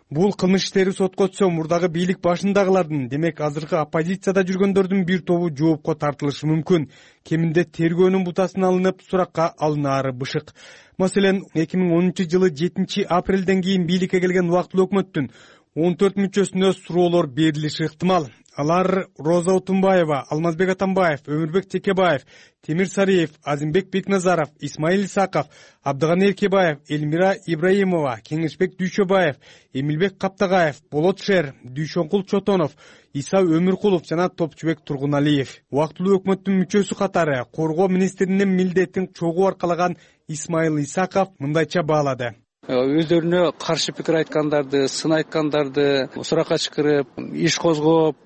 Бул кылмыш иштери сотко өтсө, мурдагы бийлик башындагылардын, демек азыркы оппозицияда жүргөндөрдүн бир тобу жоопко тартылышы мүмкүн. Кеминде тергөөнүн бутасын алынып, суракка алынаары бышык. Маселен, 2010 жылы 7 апрелден кийин бийликке келген убактылуу өкмөттүн 14 мүчөсүнө суроолор берилиши ыктымал. Алар Роза Отунбаева, Алмазбек Атамбаев, Өмүрбек Текебаев, Темир Сариев, Азимбек Бекназаров, Исмаил Исаков, Абдыганы Эркебаев, Элмира Ибраимова, Кеңешбек Дүйшөбаев, Эмилбек Каптагаев, Болот Шер, Дүйшөнкул Чотонов, Иса Өмүркулов жана Топчубек Тургуналиев. Убактылуу өкмөттүн мүчөсү катары коргоо министринин милдетин чогуу аркалаган Исмаил Исаков мындайча баалады. Өздөрүнө каршы пикир айткандарды, сын айткандарды суракка чакырып, иш козгоп,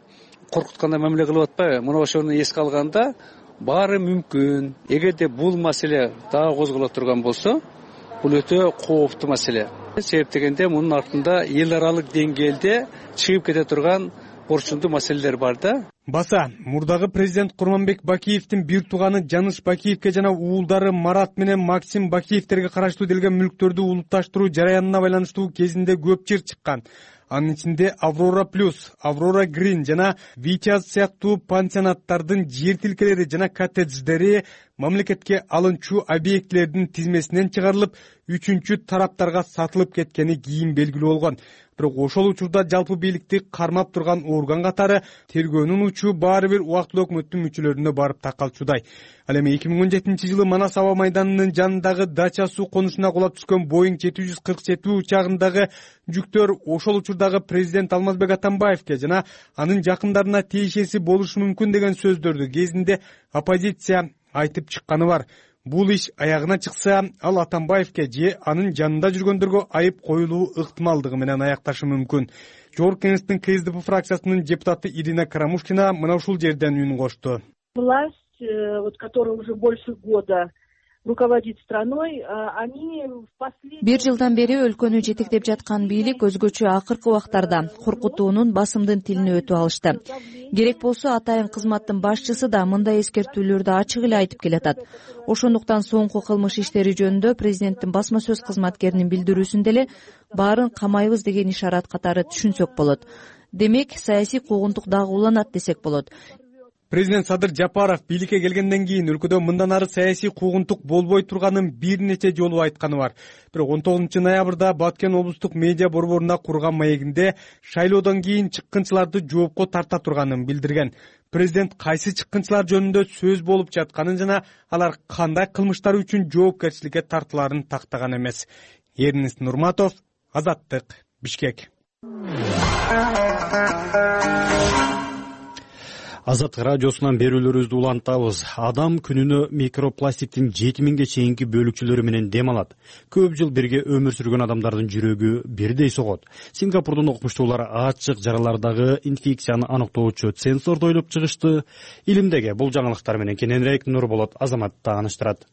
коркуткандай мамиле кылып атпайбы? Мына ошону эске алганда баары мүмкүн. Эгерде бул маселе дагы козголо турган болсо, бул өтө кооптуу маселе. Себеп дегенде мунун артында эл аралык деңгээлде чыгып кете турган орчундуу маселелер бар да. Баса, мурдагы президент Курманбек Бакиевдин бир тууганы Жаныш Бакиевке жана уулдары Марат менен Максим Бакиевтерге караштуу делген мүлктөрдү улутташтыруу жараянына байланыштуу кезинде көп чыр чыккан. Анын ичинде Аврора Плюс, Аврора Грин жана Витяз сыяктуу пансионаттардын жер тилкелери жана коттедждери мамлекетке алынчу объектилердин тизмесинен чыгарылып, үчүнчү тараптарга сатылып кеткени кийин белгилүү болгон. Бирок ошол учурда жалпы бийликти кармап турган орган катары тергөөнүн учу баары бир убактылуу өкмөттүн мүчөлөрүнө барып такалчудай. Ал эми 2017 жылы Манас аба майданынын жанындагы Дача суу конушуна кулап түшкөн Boeing 747 учагындагы жүктөр ошол учурдагы президент Алмазбек Атамбаевке жана анын жакындарына тиешеси болушу мүмкүн деген сөздөрдү кезинде оппозиция айтып чыкканы бар. Бул иш аягына чыкса, ал Атамбаевке же анын жанында жүргөндөргө айып коюлуу ыктымалдыгы менен аякташы мүмкүн. Жогорку кеңештин КСДП фракциясынын депутаты Ирина Карамушкина мына ушул жерден үн кошту. Власть, которая уже больше года руководит страной, они в последние... Бир жылдан бери өлкөнү жетектеп жаткан бийлик өзгөчө акыркы убактарда коркутуунун, басымдын тилине өтүп алышты. Керек болсо атайын кызматтын башчысы да мындай эскертүүлөрдү ачык эле айтып келатат. Ошондуктан соңку кылмыш иштери жөнүндө президенттин басма сөз кызматкеринин билдирүүсүндө эле баарын камайбыз деген ишарат катары түшүнсөк болот. Демек, саясий куугунтук дагы уланат десек болот. Президент Садыр Жапаров бийликке келгенден кийин өлкөдө мындан ары саясий куугунтук болбой турганын бир нече жолу айтканы бар. Бирок 19 ноябрда Баткен облустук медиа борборуна курган маегинде шайлоодон кийин чыккынчыларды жоопко тарта турганын билдирген. Президент кайсы чыккынчылар жөнүндө сөз болуп жатканын жана алар кандай кылмыштар үчүн жоопкерчиликке тартылаарын тактаган эмес. Эрнест Нурматов, Азаттык, Бишкек. Азаттык радиосунан берүүлөрүбүздү улантабыз. Адам күнүнө микропластиктин 7000ге чейинки бөлүкчөлөрү менен дем алат. Көп жыл бирге өмүр сүргөн адамдардын жүрөгү бирдей согот. Сингапурдун окумуштуулары ачык жаралардагы инфекцияны аныктоочу сенсорду ойлоп чыгышты. Илимдеги бул жаңылыктар менен кененирээк Нурболот Азамат тааныштырат.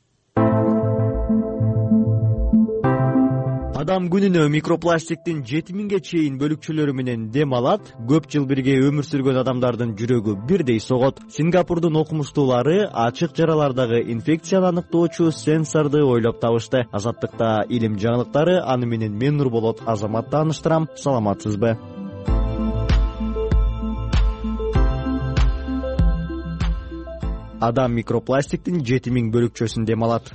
Адам күнүнө микропластиктин 7000ге чейин бөлүкчөлөрү менен дем алат. Көп жыл бирге өмүр сүргөн адамдардын жүрөгү бирдей согот. Сингапурдун окумуштуулары ачык жаралардагы инфекцияны аныктоочу сенсорду ойлоп табышты. Азаттыкта илим жаңылыктары, аны менен мен Нурболот Азамат тааныштырам. Саламатсызбы? Адам микропластиктин 7000 бөлүкчөсүн дем алат.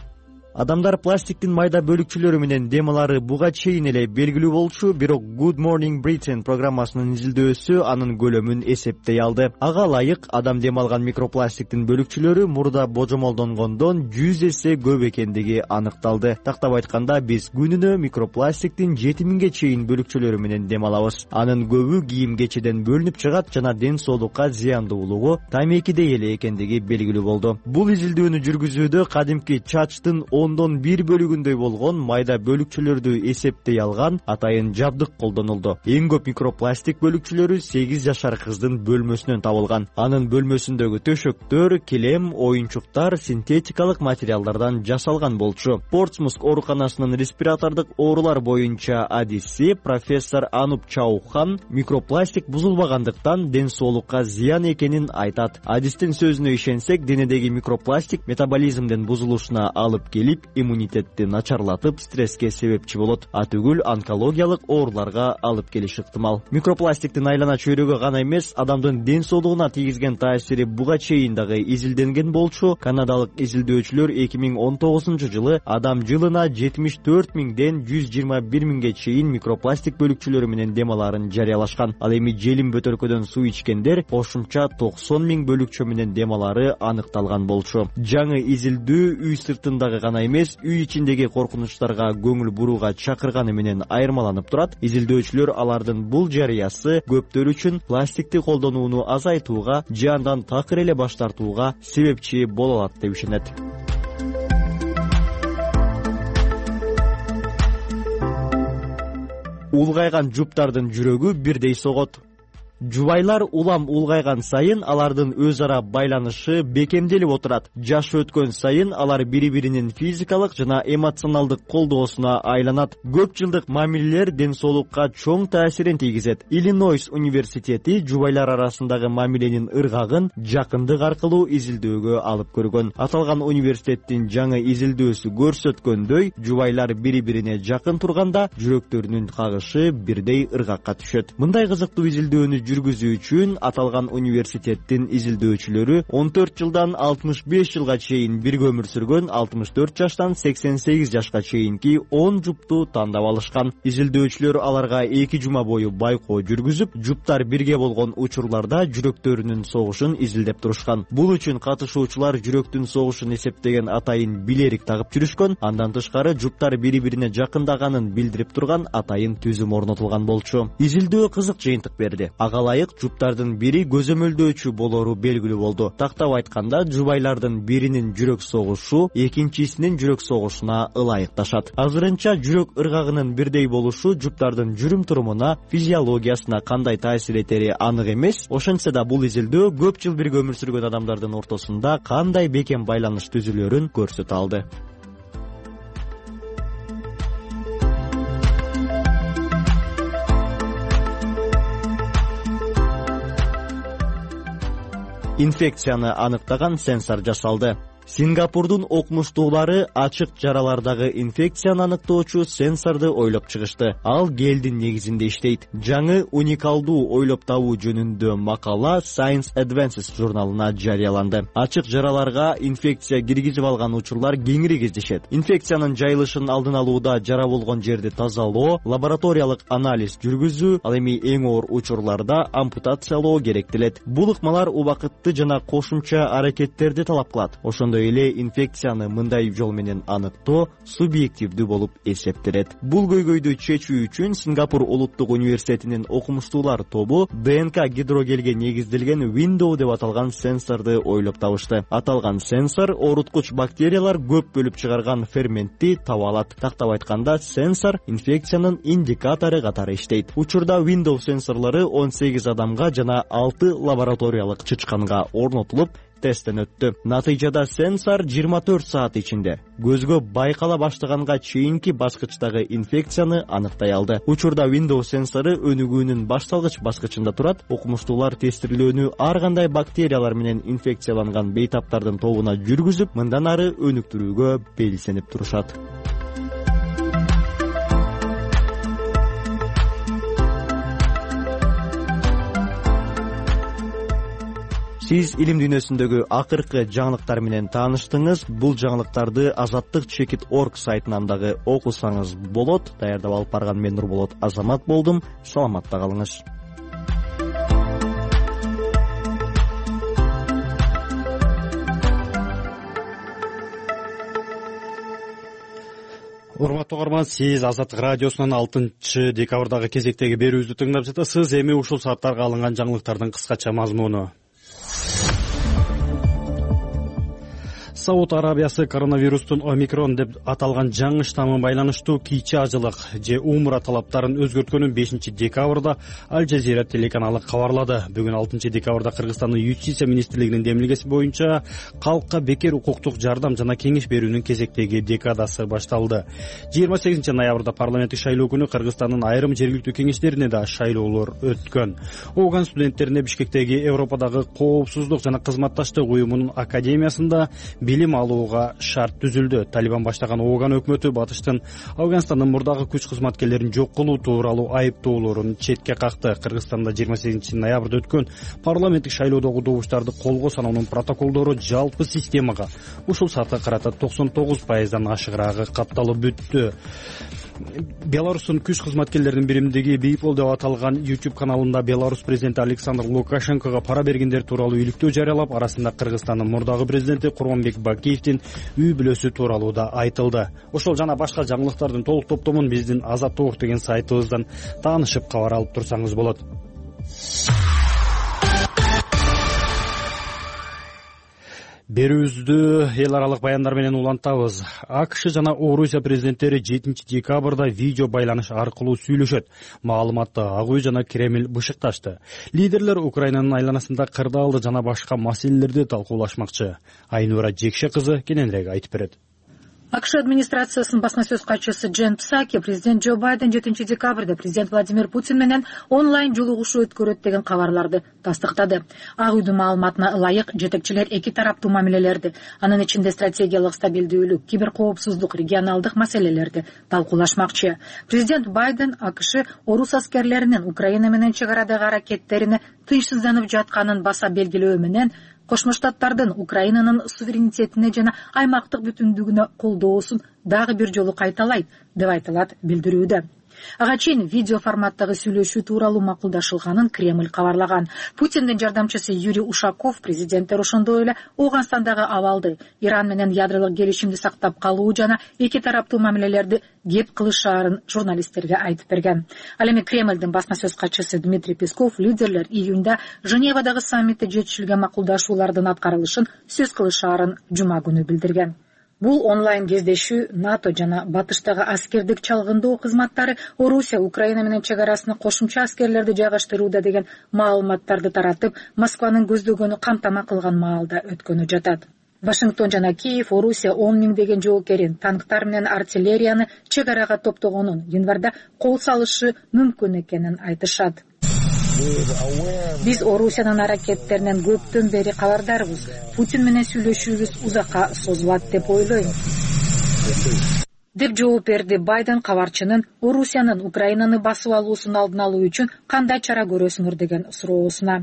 Адамдар пластиктин майда бөлүкчөлөрү менен дем алары буга чейин эле белгилүү болчу, бирок Good Morning Britain программасынын изилдөөсү анын көлөмүн эсептей алды. Ага ылайык адам дем алган микропластиктин бөлүкчөлөрү мурда божомолдонгондон 100 эсе көп экендиги аныкталды. Тактап айтканда, биз күнүнө микропластиктин 7000ге чейин бөлүкчөлөрү менен дем алабыз. Анын көбү кийим-кечеден бөлүнүп чыгат жана ден соолукка зыяндуулугу тамекидей эле экендиги белгилүү болду. Бул изилдөөнү жүргүзүүдө кадимки чачтын 1/10 бөлүгүндөй болгон майда бөлүкчөлөрдү эсептей алган атайын жабдык колдонулду. Эң көп микропластик бөлүкчөлөрү 8 жашар кыздын бөлмөсүнөн табылган. Анын бөлмөсүндөгү төшөктөр, килем, оюнчуктар синтетикалык материалдардан жасалган болчу. Портсмут ооруканасынын респиратордук оорулар боюнча адиси профессор Ануп Чаухан микропластик бузулбагандыктан ден соолукка зыян экенин айтат. Адистин сөзүнө ишенсек, денедеги микропластик метаболизмдин бузулушуна алып келип, иммунитетти начарлатып, стресске себепчи болот. Атүгүл онкологиялык ооруларга алып келиши ыктымал. Микропластиктин айлана чөйрөгө гана эмес, адамдын ден соолугуна тийгизген таасири буга чейин дагы изилденген болчу. Канадалык изилдөөчүлөр 2019-жылы адам жылына 74.000ден 121.000ге чейин микропластик бөлүкчөлөрү менен дем алаарын жарыялашкан. Ал эми желим бөтөлкөдөн суу ичкендер кошумча 90.000 бөлүкчө менен дем алаары аныкталган болчу. Жаңы изилдөө үй сыртындагы гана эмес, үй ичиндеги коркунучтарга көңүл бурууга чакырганы менен айырмаланып турат. Изилдөөчүлөр алардын бул жарыясы көптөр үчүн пластикти колдонууну азайтууга же андан такыр эле баш тартууга себепчи боло алат деп ишенет. Улгайган жуптардын жүрөгү бирдей согот. Жубайлар улам улгайган сайын алардын өз ара байланышы бекемделип отурат. Жаш өткөн сайын алар бири-биринин физикалык жана эмоционалдык колдоосуна айланат. Көп жылдык мамилелер ден соолукка чоң таасирин тийгизет. Иллинойс университети жубайлар арасындагы мамиленин ыргагын жакындык аркылуу изилдөөгө алып көргөн. Аталган университеттин жаңы изилдөөсү көрсөткөндөй, жубайлар бири-бирине жакын турганда жүрөктөрүнүн кагышы бирдей ыргакка түшөт. Мындай кызыктуу изилдөөнү жүргүзүү үчүн аталган университеттин изилдөөчүлөрү 14 жылдан 65 жылга чейин бирге өмүр сүргөн 64 жаштан 88 жашка чейинки 10 жупту тандап алышкан. Изилдөөчүлөр аларга 2 жума бою байкоо жүргүзүп, жуптар бирге болгон учурларда жүрөктөрүнүн согушун изилдеп турушкан. Бул үчүн катышуучулар жүрөктүн согушун эсептеген атайын билерик тагып жүрүшкөн. Андан тышкары жуптар бири-бирине жакындаганын билдирип турган атайын түзүм орнотулган болчу. Изилдөө кызык жыйынтык берди. Ылайык жуптардын бири көзөмөлдөөчү болору белгилүү болду. Тактап айтканда, жубайлардын биринин жүрөк согушу экинчисинин жүрөк согушуна ылайыкташат. Азырынча жүрөк ыргагынын бирдей болушу жуптардын жүрүм-турумуна, физиологиясына кандай таасир этери анык эмес. Ошентсе да бул изилдөө көп жыл бирге өмүр сүргөн адамдардын ортосунда кандай бекем байланыш түзүлөрүн көрсөтө алды. Инфекцияны аныктаган сенсор жасалды. Сингапурдун окумуштуулары ачык жаралардагы инфекцияны аныктоочу сенсорду ойлоп чыгышты. Ал гелдин негизинде иштейт. Жаңы уникалдуу ойлоп табуу жөнүндө макала Science Advances журналына жарыяланды. Ачык жараларга инфекция киргизип алган учурлар кеңири кездешет. Инфекциянын жайылышын алдын алууда жара болгон жерди тазалоо, лабораториялык анализ жүргүзүү, ал эми эң оор учурларда ампутациялоо керектелет. Бул ыкмалар убакытты жана кошумча аракеттерди талап кылат. Ошондой эле инфекцияны мындай жол менен аныктоо субъективдүү болуп эсептелет. Бул көйгөйдү чечүү үчүн Сингапур улуттук университетинин окумуштуулар тобу ДНК гидрогелге негизделген Window деп аталган сенсорду ойлоп табышты. Аталган сенсор ооруткуч бактериялар көп бөлүп чыгарган ферментти таба алат. Тактап айтканда, сенсор инфекциянын индикатору катары иштейт. Учурда Window сенсорлору 18 адамга жана 6 лабораториялык чычканга орнотулуп тесттен өттү. Натыйжада сенсор 24 саат ичинде көзгө байкала баштаганга чейинки баскычтагы инфекцияны аныктай алды. Учурда Windows сенсору өнүгүүнүн башталгыч баскычында турат. Окумуштуулар тестирлөөнү ар кандай бактериялар менен инфекцияланган бейтаптардын тобуна жүргүзүп, мындан ары өнүктүрүүгө белсенип турушат. Сиз илим дүйнөсүндөгү акыркы жаңылыктар менен тааныштыңыз. Бул жаңылыктарды azattik.org сайтынан дагы окусаңыз болот. Даярдап алып барган мен Нурболот Азамат болдум. Саламатта калыңыз. Урматтуу угарман, сиз Азаттык радиосунун 6 декабрдагы кезектеги берүүбүздү тыңдап жатасыз. Эми ушул сааттарга алынган жаңылыктардын кыскача мазмуну. Сауд Арабиясы коронавирустун омикрон деп аталган жаңы штаммы байланыштуу кийчи ажылык же умра талаптарын өзгөрткөнүн 5 декабрда Аль Жазира телеканалы кабарлады. Бүгүн 6 декабрда Кыргызстандын юстиция министрлигинин демилгеси боюнча калкка бекер укуктук жардам жана кеңеш берүүнүн кезектеги декадасы башталды. 28 ноябрда парламенттик шайлоо күнү Кыргызстандын айрым жергиликтүү кеңештерине да шайлоолор өткөн. Ооган студенттерине Бишкектеги Европадагы коопсуздук жана кызматташтык уюмунун академиясында билим алууга шарт түзүлдү. Талибан баштаган Ооган өкмөтү батыштын Афганстандын мурдагы күч кызматкерлерин жок кылуу тууралуу айыптоолорун четке какты. Кыргызстанда 28 ноябрда өткөн парламенттик шайлоодогу добуштарды колго саноонун протоколдору жалпы системага ушул саатка карата 99%дан ашыгыраагы катталып бүттү. Беларустун күч кызматкерлеринин биримдиги Бейпол деп аталган YouTube каналында Беларусь президенти Александр Лукашенкого пара бергендер тууралуу иликтөө жарыялап, арасында Кыргызстандын мурдагы президенти Курманбек Бакиевдин үй бүлөсү тууралуу да айтылды. Ошол жана башка жаңылыктардын толук топтомун биздин Азаттык деген сайтыбыздан таанышып кабар алып турсаңыз болот. Берүүбүздү эл аралык баяндар менен улантабыз. АКШ жана Орусия президенттери 7 декабрда видео байланыш аркылуу сүйлөшөт. Маалыматты Ак үй жана Кремль бышыкташты. Лидерлер Украинанын айланасында кырдаалды жана башка маселелерди талкуулашмакчы. Айнура Жекше кызы кененирээк айтып берет. АКШ администрациясынын басма сөз катчысы Джен Псаки президент Джо Байден 7 декабрда президент Владимир Путин менен онлайн жолугушуу өткөрөт деген кабарларды тастыктады. Ак үйдүн маалыматына ылайык, жетекчилер эки тараптуу мамилелерди, анын ичинде стратегиялык стабилдүүлүк, киберкоопсуздук, регионалдык маселелерди талкуулашмакчы. Президент Байден АКШ орус аскерлеринин Украина менен чек арадагы аракеттерине тынчсызданып жатканын баса белгилөө менен Кошмо Штаттардын Украинанын суверенитетине жана аймактык бүтүндүгүнө колдоосун дагы бир жолу кайталайт деп айтылат билдирүүдө. Ага чейин видео форматтагы сүйлөшүү тууралуу макулдашылганын Кремль кабарлаган. Путиндин жардамчысы Юрий Ушаков президенттер ошондой эле Ооганстандагы абалды, Иран менен ядролук келишимди сактап калуу жана эки тараптуу мамилелерди кеп кылышаарын журналисттерге айтып берген. Ал эми Кремлдин басма сөз катчысы Дмитрий Песков лидерлер июнда Женевадагы саммитте жетишилген макулдашуулардын аткарылышын сөз кылышаарын жума күнү билдирген. Бул онлайн кездешүү НАТО жана батыштагы аскердик чалгындоо кызматтары Орусия Украина менен чек арасына кошумча аскерлерди жайгаштырууда деген маалыматтарды таратып, Москванын көздөгөнү камтама кылган маалда өткөнү жатат. Вашингтон жана Киев Орусия 10 миңдеген жоокерин, танктар менен артиллерияны чек арага топтогонун, январда кол салышы мүмкүн экенин айтышат. Биз Орусиянын аракеттеринен көптөн бери кабардарбыз. Путин менен сүйлөшүүбүз узакка созулат деп ойлойм, деп жооп берди Байден кабарчынын Орусиянын Украинаны басып алуусун алдын алуу үчүн кандай чара көрөсүңөр деген суроосуна.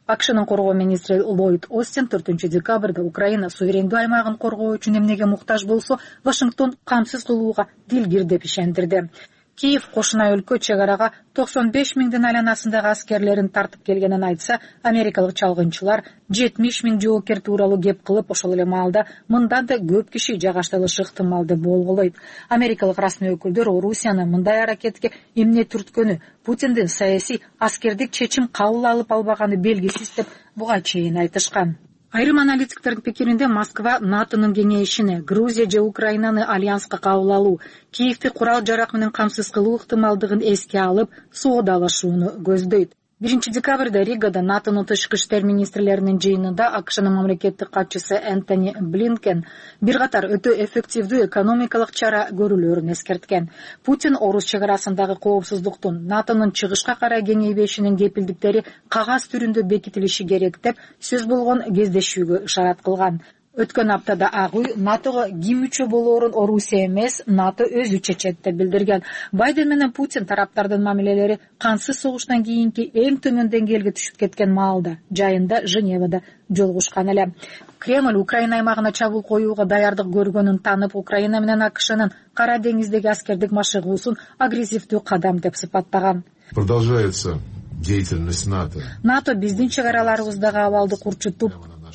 АКШнын коргоо министри Ллойд Остин 4 декабрда Украина суверендүү аймагын коргоо үчүн эмнеге муктаж болсо, Вашингтон камсыз кылууга дилгир деп ишендирди. Киев кошуна өлкө чек арага 95 миңдин айланасындагы аскерлерин тартып келгенин айтса, америкалык чалгынчылар 70 миң жоокер тууралуу кеп кылып, ошол эле маалда мындан да көп киши жайгаштырылышы ыктымал деп болголойт. Америкалык расмий өкүлдөр Орусияны мындай аракетке эмне түрткөнү, Путиндин саясий аскердик чечим кабыл алып албаганы белгисиз деп буга чейин айтышкан. Айрым аналитиктердин пикиринде Москва НАТОнун кеңейишине, Грузия же Украинаны альянска кабыл алуу, Киевди курал-жарак менен камсыз кылуу ыктымалдыгын эске алып, соодалашууну көздөйт. 1 декабрда Ригада НАТОнун тышкы иштер министрлеринин жыйынында АКШнын мамлекеттик катчысы Энтони Блинкен бир катар өтө эффективдүү экономикалык чара көрүлөрүн эскерткен. Путин орус чек арасындагы коопсуздуктун, НАТОнун чыгышка карай кеңейбешинин кепилдиктери кагаз түрүндө бекитилиши керек деп сөз болгон кездешүүгө ишарат кылган. Өткөн аптада ак үй НАТОго ким мүчө болоорун Орусия эмес, НАТО өзү чечет деп билдирген. Байден менен Путин тараптардын мамилелери кансыз согуштан кийинки эң төмөн деңгээлге түшүп кеткен маалда, жайында Женевада жолугушкан эле. Кремль Украина аймагына чабуул коюуга даярдык көргөнүн танып, Украина менен АКШнын Кара деңиздеги аскердик машыгуусун агрессивдүү кадам деп сыпаттаган. Продолжается деятельность НАТО. НАТО биздин чек араларыбыздагы абалды курчутуп,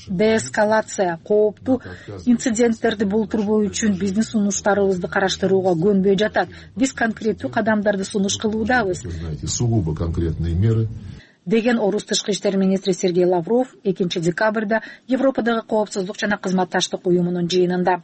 деэскалация, кооптуу инциденттерди болтурбоо үчүн биздин сунуштарыбызды караштырууга көнбөй жатат. Биз конкреттүү кадамдарды сунуш кылуудабыз. Сугубо конкретные меры. Деген орус тышкы иштер министри Сергей Лавров 2 декабрда Европадагы коопсуздук жана кызматташтык уюмунун жыйынында.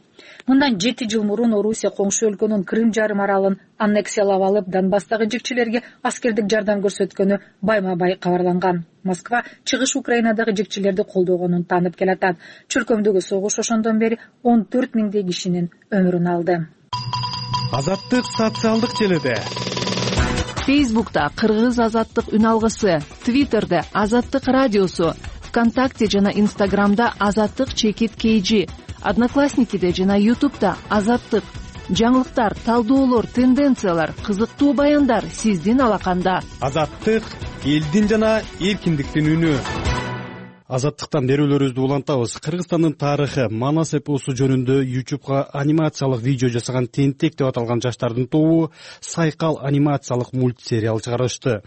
Мындан 7 жыл мурун Орусия коңшу өлкөнүн Крым жарым аралын аннексиялап алып, Донбасстагы жикчилерге аскердик жардам көрсөткөнү байма-бай кабарланган. Москва чыгыш Украинадагы жикчилерди колдогонун танып келатат. Чөлкөмдөгү согуш ошондон бери 14 миңдей кишинин өмүрүн алды. Азаттык социалдык желиде. Фейсбукта Кыргыз азаттык үн алгысы, Твиттерде Азаттык радиосу, ВКонтакте жана Инстаграмда Азаттык чекит KG, Одноклассникиде жана Ютубта Азаттык. Жаңылыктар, талдоолор, тенденциялар, кызыктуу баяндар сиздин алаканда. Азаттык элдин жана эркиндиктин үнү. Азаттыктан берүүлөрүбүздү улантабыз. Кыргызстандын тарыхы Манас эпосу жөнүндө YouTubeга анимациялык видео жасаган Тентек деп аталган жаштардын тобу Сайкал анимациялык мультсериал чыгарышты.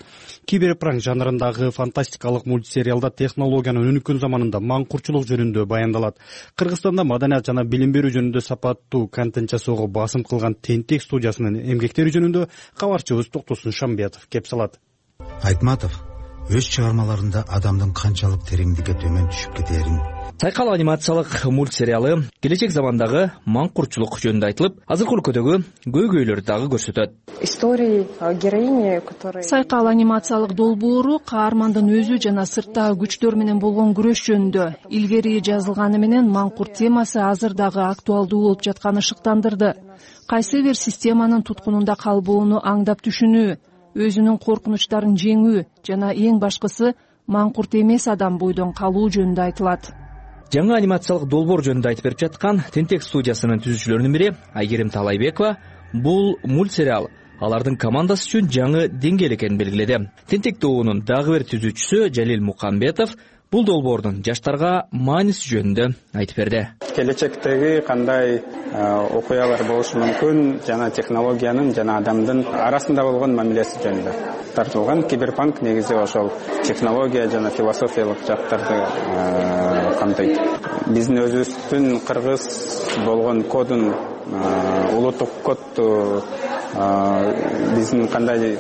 Киберпранк жанрындагы фантастикалык мультсериалда технологиянын өнүккөн заманында маңкурчулук жөнүндө баяндалат. Кыргызстанда маданият жана билим берүү жөнүндө сапаттуу контент жасоого басым кылган Тентек студиясынын эмгектери жөнүндө кабарчыбыз Токтосун Шамбиятов кеп салат. Айтматов өз чыгармаларында адамдын канчалык тереңдикке төмөн түшүп кетээрин. Сайкал анимациялык мультсериалы келечек замандагы маңкурчулук жөнүндө айтылып, азыркы өлкөдөгү көйгөйлөрдү дагы көрсөтөт. Истории героини, которые Сайкал анимациялык долбоору каармандын өзү жана сырттагы күчтөр менен болгон күрөш жөнүндө. Илгери жазылганы менен маңкурт темасы азыр дагы актуалдуу болуп жатканы шыктандырды. Кайсы бир системанын туткунунда калбоону аңдап түшүнүү, өзүнүн коркунучтарын жеңүү жана эң башкысы маңкурт эмес адам бойдон калуу жөнүндө айтылат. Жаңы анимациялык долбоор жөнүндө айтып берип жаткан Тентек студиясынын түзүүчүлөрүнүн бири Айгерим Талайбекова бул мультсериал алардын командасы үчүн жаңы деңгээл экенин белгиледи. Тентек тобунун дагы бир түзүүчүсү Жалил Мукамбетов бул долбоордун жаштарга мааниси жөнүндө айтып берди. Келечектеги кандай окуялар болушу мүмкүн жана технологиянын жана адамдын арасында болгон мамилеси жөнүндө тартылган. Киберпанк негизи ошол технология жана философиялык жактарды камтыйт. Биздин өзүбүздүн кыргыз болгон кодун, улуттук кодду, биздин кандай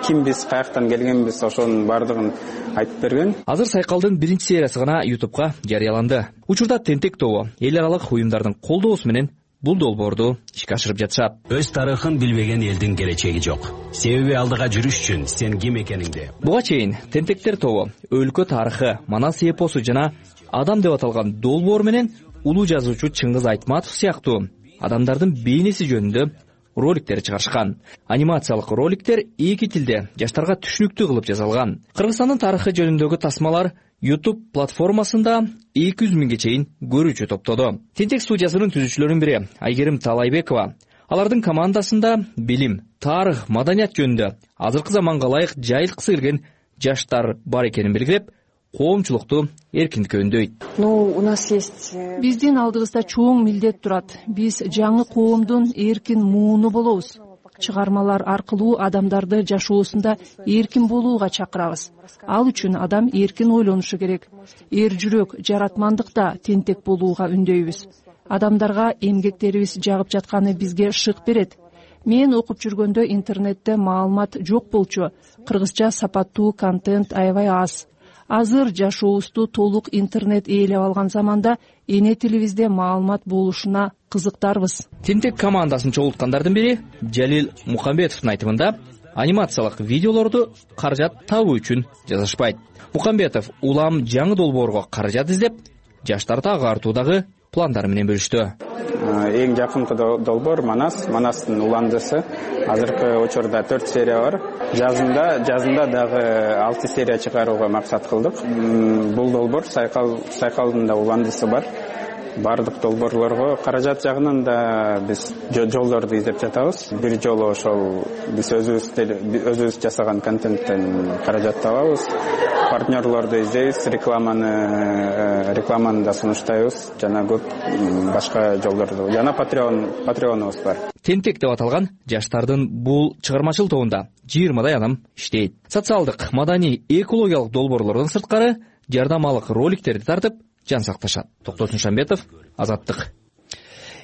кимбиз, каяктан келгенбиз, ошонун баардыгын айтып берген. Азыр Сайкалдын биринчи сериясы гана YouTubeга жарыяланды. Учурда Тентек тобу эл аралык уюмдардын колдоосу менен бул долбоорду ишке ашырып жатышат. Өз тарыхын билбеген элдин келечеги жок. Себеби алдыга жүрүш үчүн сен ким экениңди. Буга чейин Тентектер тобу өлкө тарыхы, Манас эпосу жана Адам деп аталган долбоор менен улуу жазуучу Чыңгыз Айтматов сыяктуу адамдардын бейнеси жөнүндө роликтер чыгарышкан. Анимациялык роликтер эки тилде жаштарга түшүнүктүү кылып жасалган. Кыргызстандын тарыхы жөнүндөгү тасмалар YouTube платформасында 200 миңге чейин көрүүчү топтоду. Тентек студиясынын түзүүчүлөрүнүн бири Айгерим Талайбекова алардын командасында билим, тарых, маданият жөнүндө азыркы заманга ылайык жайылткысы келген жаштар бар экенин белгилеп, коомчулукту эркиндикке үндөйт. У нас есть Биздин алдыбызда чоң милдет турат. Биз жаңы коомдун эркин мууну болобуз. Чыгармалар аркылуу адамдарды жашоосунда эркин болууга чакырабыз. Ал үчүн адам эркин ойлонушу керек. Эр жүрөк, жаратмандыкта тентек болууга үндөйбүз. Адамдарга эмгектерибиз жагып жатканы бизге шык берет. Мен окуп жүргөндө интернетте маалымат жок болчу. Кыргызча сапаттуу контент аябай аз. Азыр жашообузду толук интернет ээлеп алган заманда эне тилибизде маалымат болушуна кызыктарбыз. Тентек командасын чогулткандардын бири Жалил Мукамбетовдун айтымында анимациялык видеолорду каражат табуу үчүн жазышпайт. Мукамбетов улам жаңы долбоорго каражат издеп, жаштарды агартуудагы пландары менен бөлүштү. Эң жакынкы долбоор Манастын уландысы. Азыркы учурда 4 серия бар. Жазында дагы 6 серия чыгарууга максат кылдык. Бул долбоор Сайкалдын да уландысы бар. баардык долбоорлорго каражат жагынан да биз жолдорду издеп жатабыз. Бир жолу ошол биз өзүбүз жасаган контенттен каражат табабыз. Партнерлорду издейбиз, рекламаны да сунуштайбыз. Жана көп башка жолдорду. Жана патреонубуз бар. Тентек деп аталган жаштардын бул чыгармачыл тобунда 20 адам иштейт. Социалдык, маданий, экологиялык долбоорлордон сырткары жардамалык роликтерди тартып жан сакташат. Токтосун Шамбетов, Азаттык.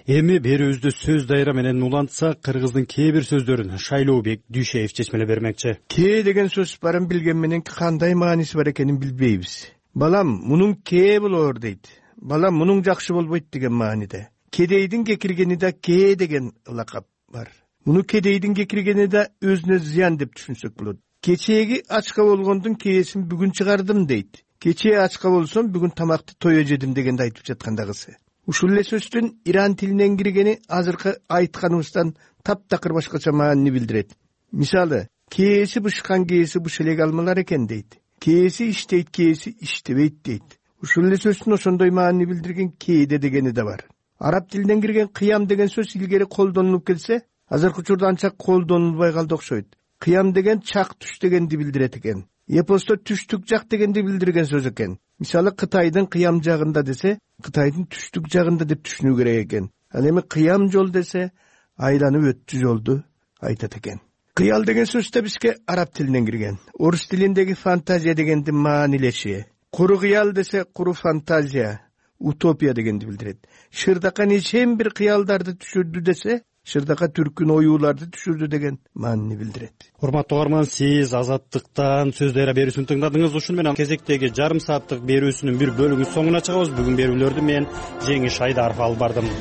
Эми берүүбүздө сөз дайра менен улантса, кыргыздын кээ бир сөздөрүн Шайлообек Дүйшеев чечмелеп бермекчи. Кээ деген сөз барын билген менен кандай мааниси бар экенин билбейбиз. Балам, мунун кээ болоор дейт. Балам, мунун жакшы болбойт деген мааниде. Кедейдин кекиргени да кээ деген лакап бар. Муну кедейдин кекиргени да өзүнө зыян деп түшүнсөк болот. Кечээги ачка болгондун кээсин бүгүн чыгардым дейт. Кечээ ачка болсом бүгүн тамакты тое жедим дегенди айтып жаткандагысы. Ушул эле сөздүн иран тилинен киргени азыркы айтканыбыздан таптакыр башкача маани билдирет. Мисалы, кээси бышкан кээси быш элек алмалар экен дейт. Кээси иштейт, кээси иштебейт дейт. Ушул эле сөздүн ошондой маани билдирген кээде дегени да бар. Араб тилинен кирген кыям деген сөз илгери колдонулуп келсе, азыркы учурда анча колдонулбай калды окшойт. Кыям деген чак түш дегенди билдирет экен. Эпосто түштүк жак дегенди билдирген сөз экен. Мисалы, Кытайдын кыям жагында десе, Кытайдын түштүк жагында деп түшүнүү керек экен. Ал эми кыям жол десе, айланып өттү жолду айтат экен. Кыял деген сөз да бизге араб тилинен кирген. Орус тилиндеги фантазия дегенди маанилеши. Куру кыял десе, куру фантазия, утопия дегенди билдирет. Шырдака нечен бир кыялдарды түшүрдү десе, Шырдака түркүн оюуларды түшүрдү деген маани билдирет. Урматтуу угарман, сиз Азаттыктан сөз дайра берүүсүн тыңдадыңыз. Ушун менен кезектеги жарым сааттык берүүсүнүн бир бөлүгүн соңуна чыгабыз. Бүгүн берүүлөрдү мен Жеңиш Айдаров алып бардым.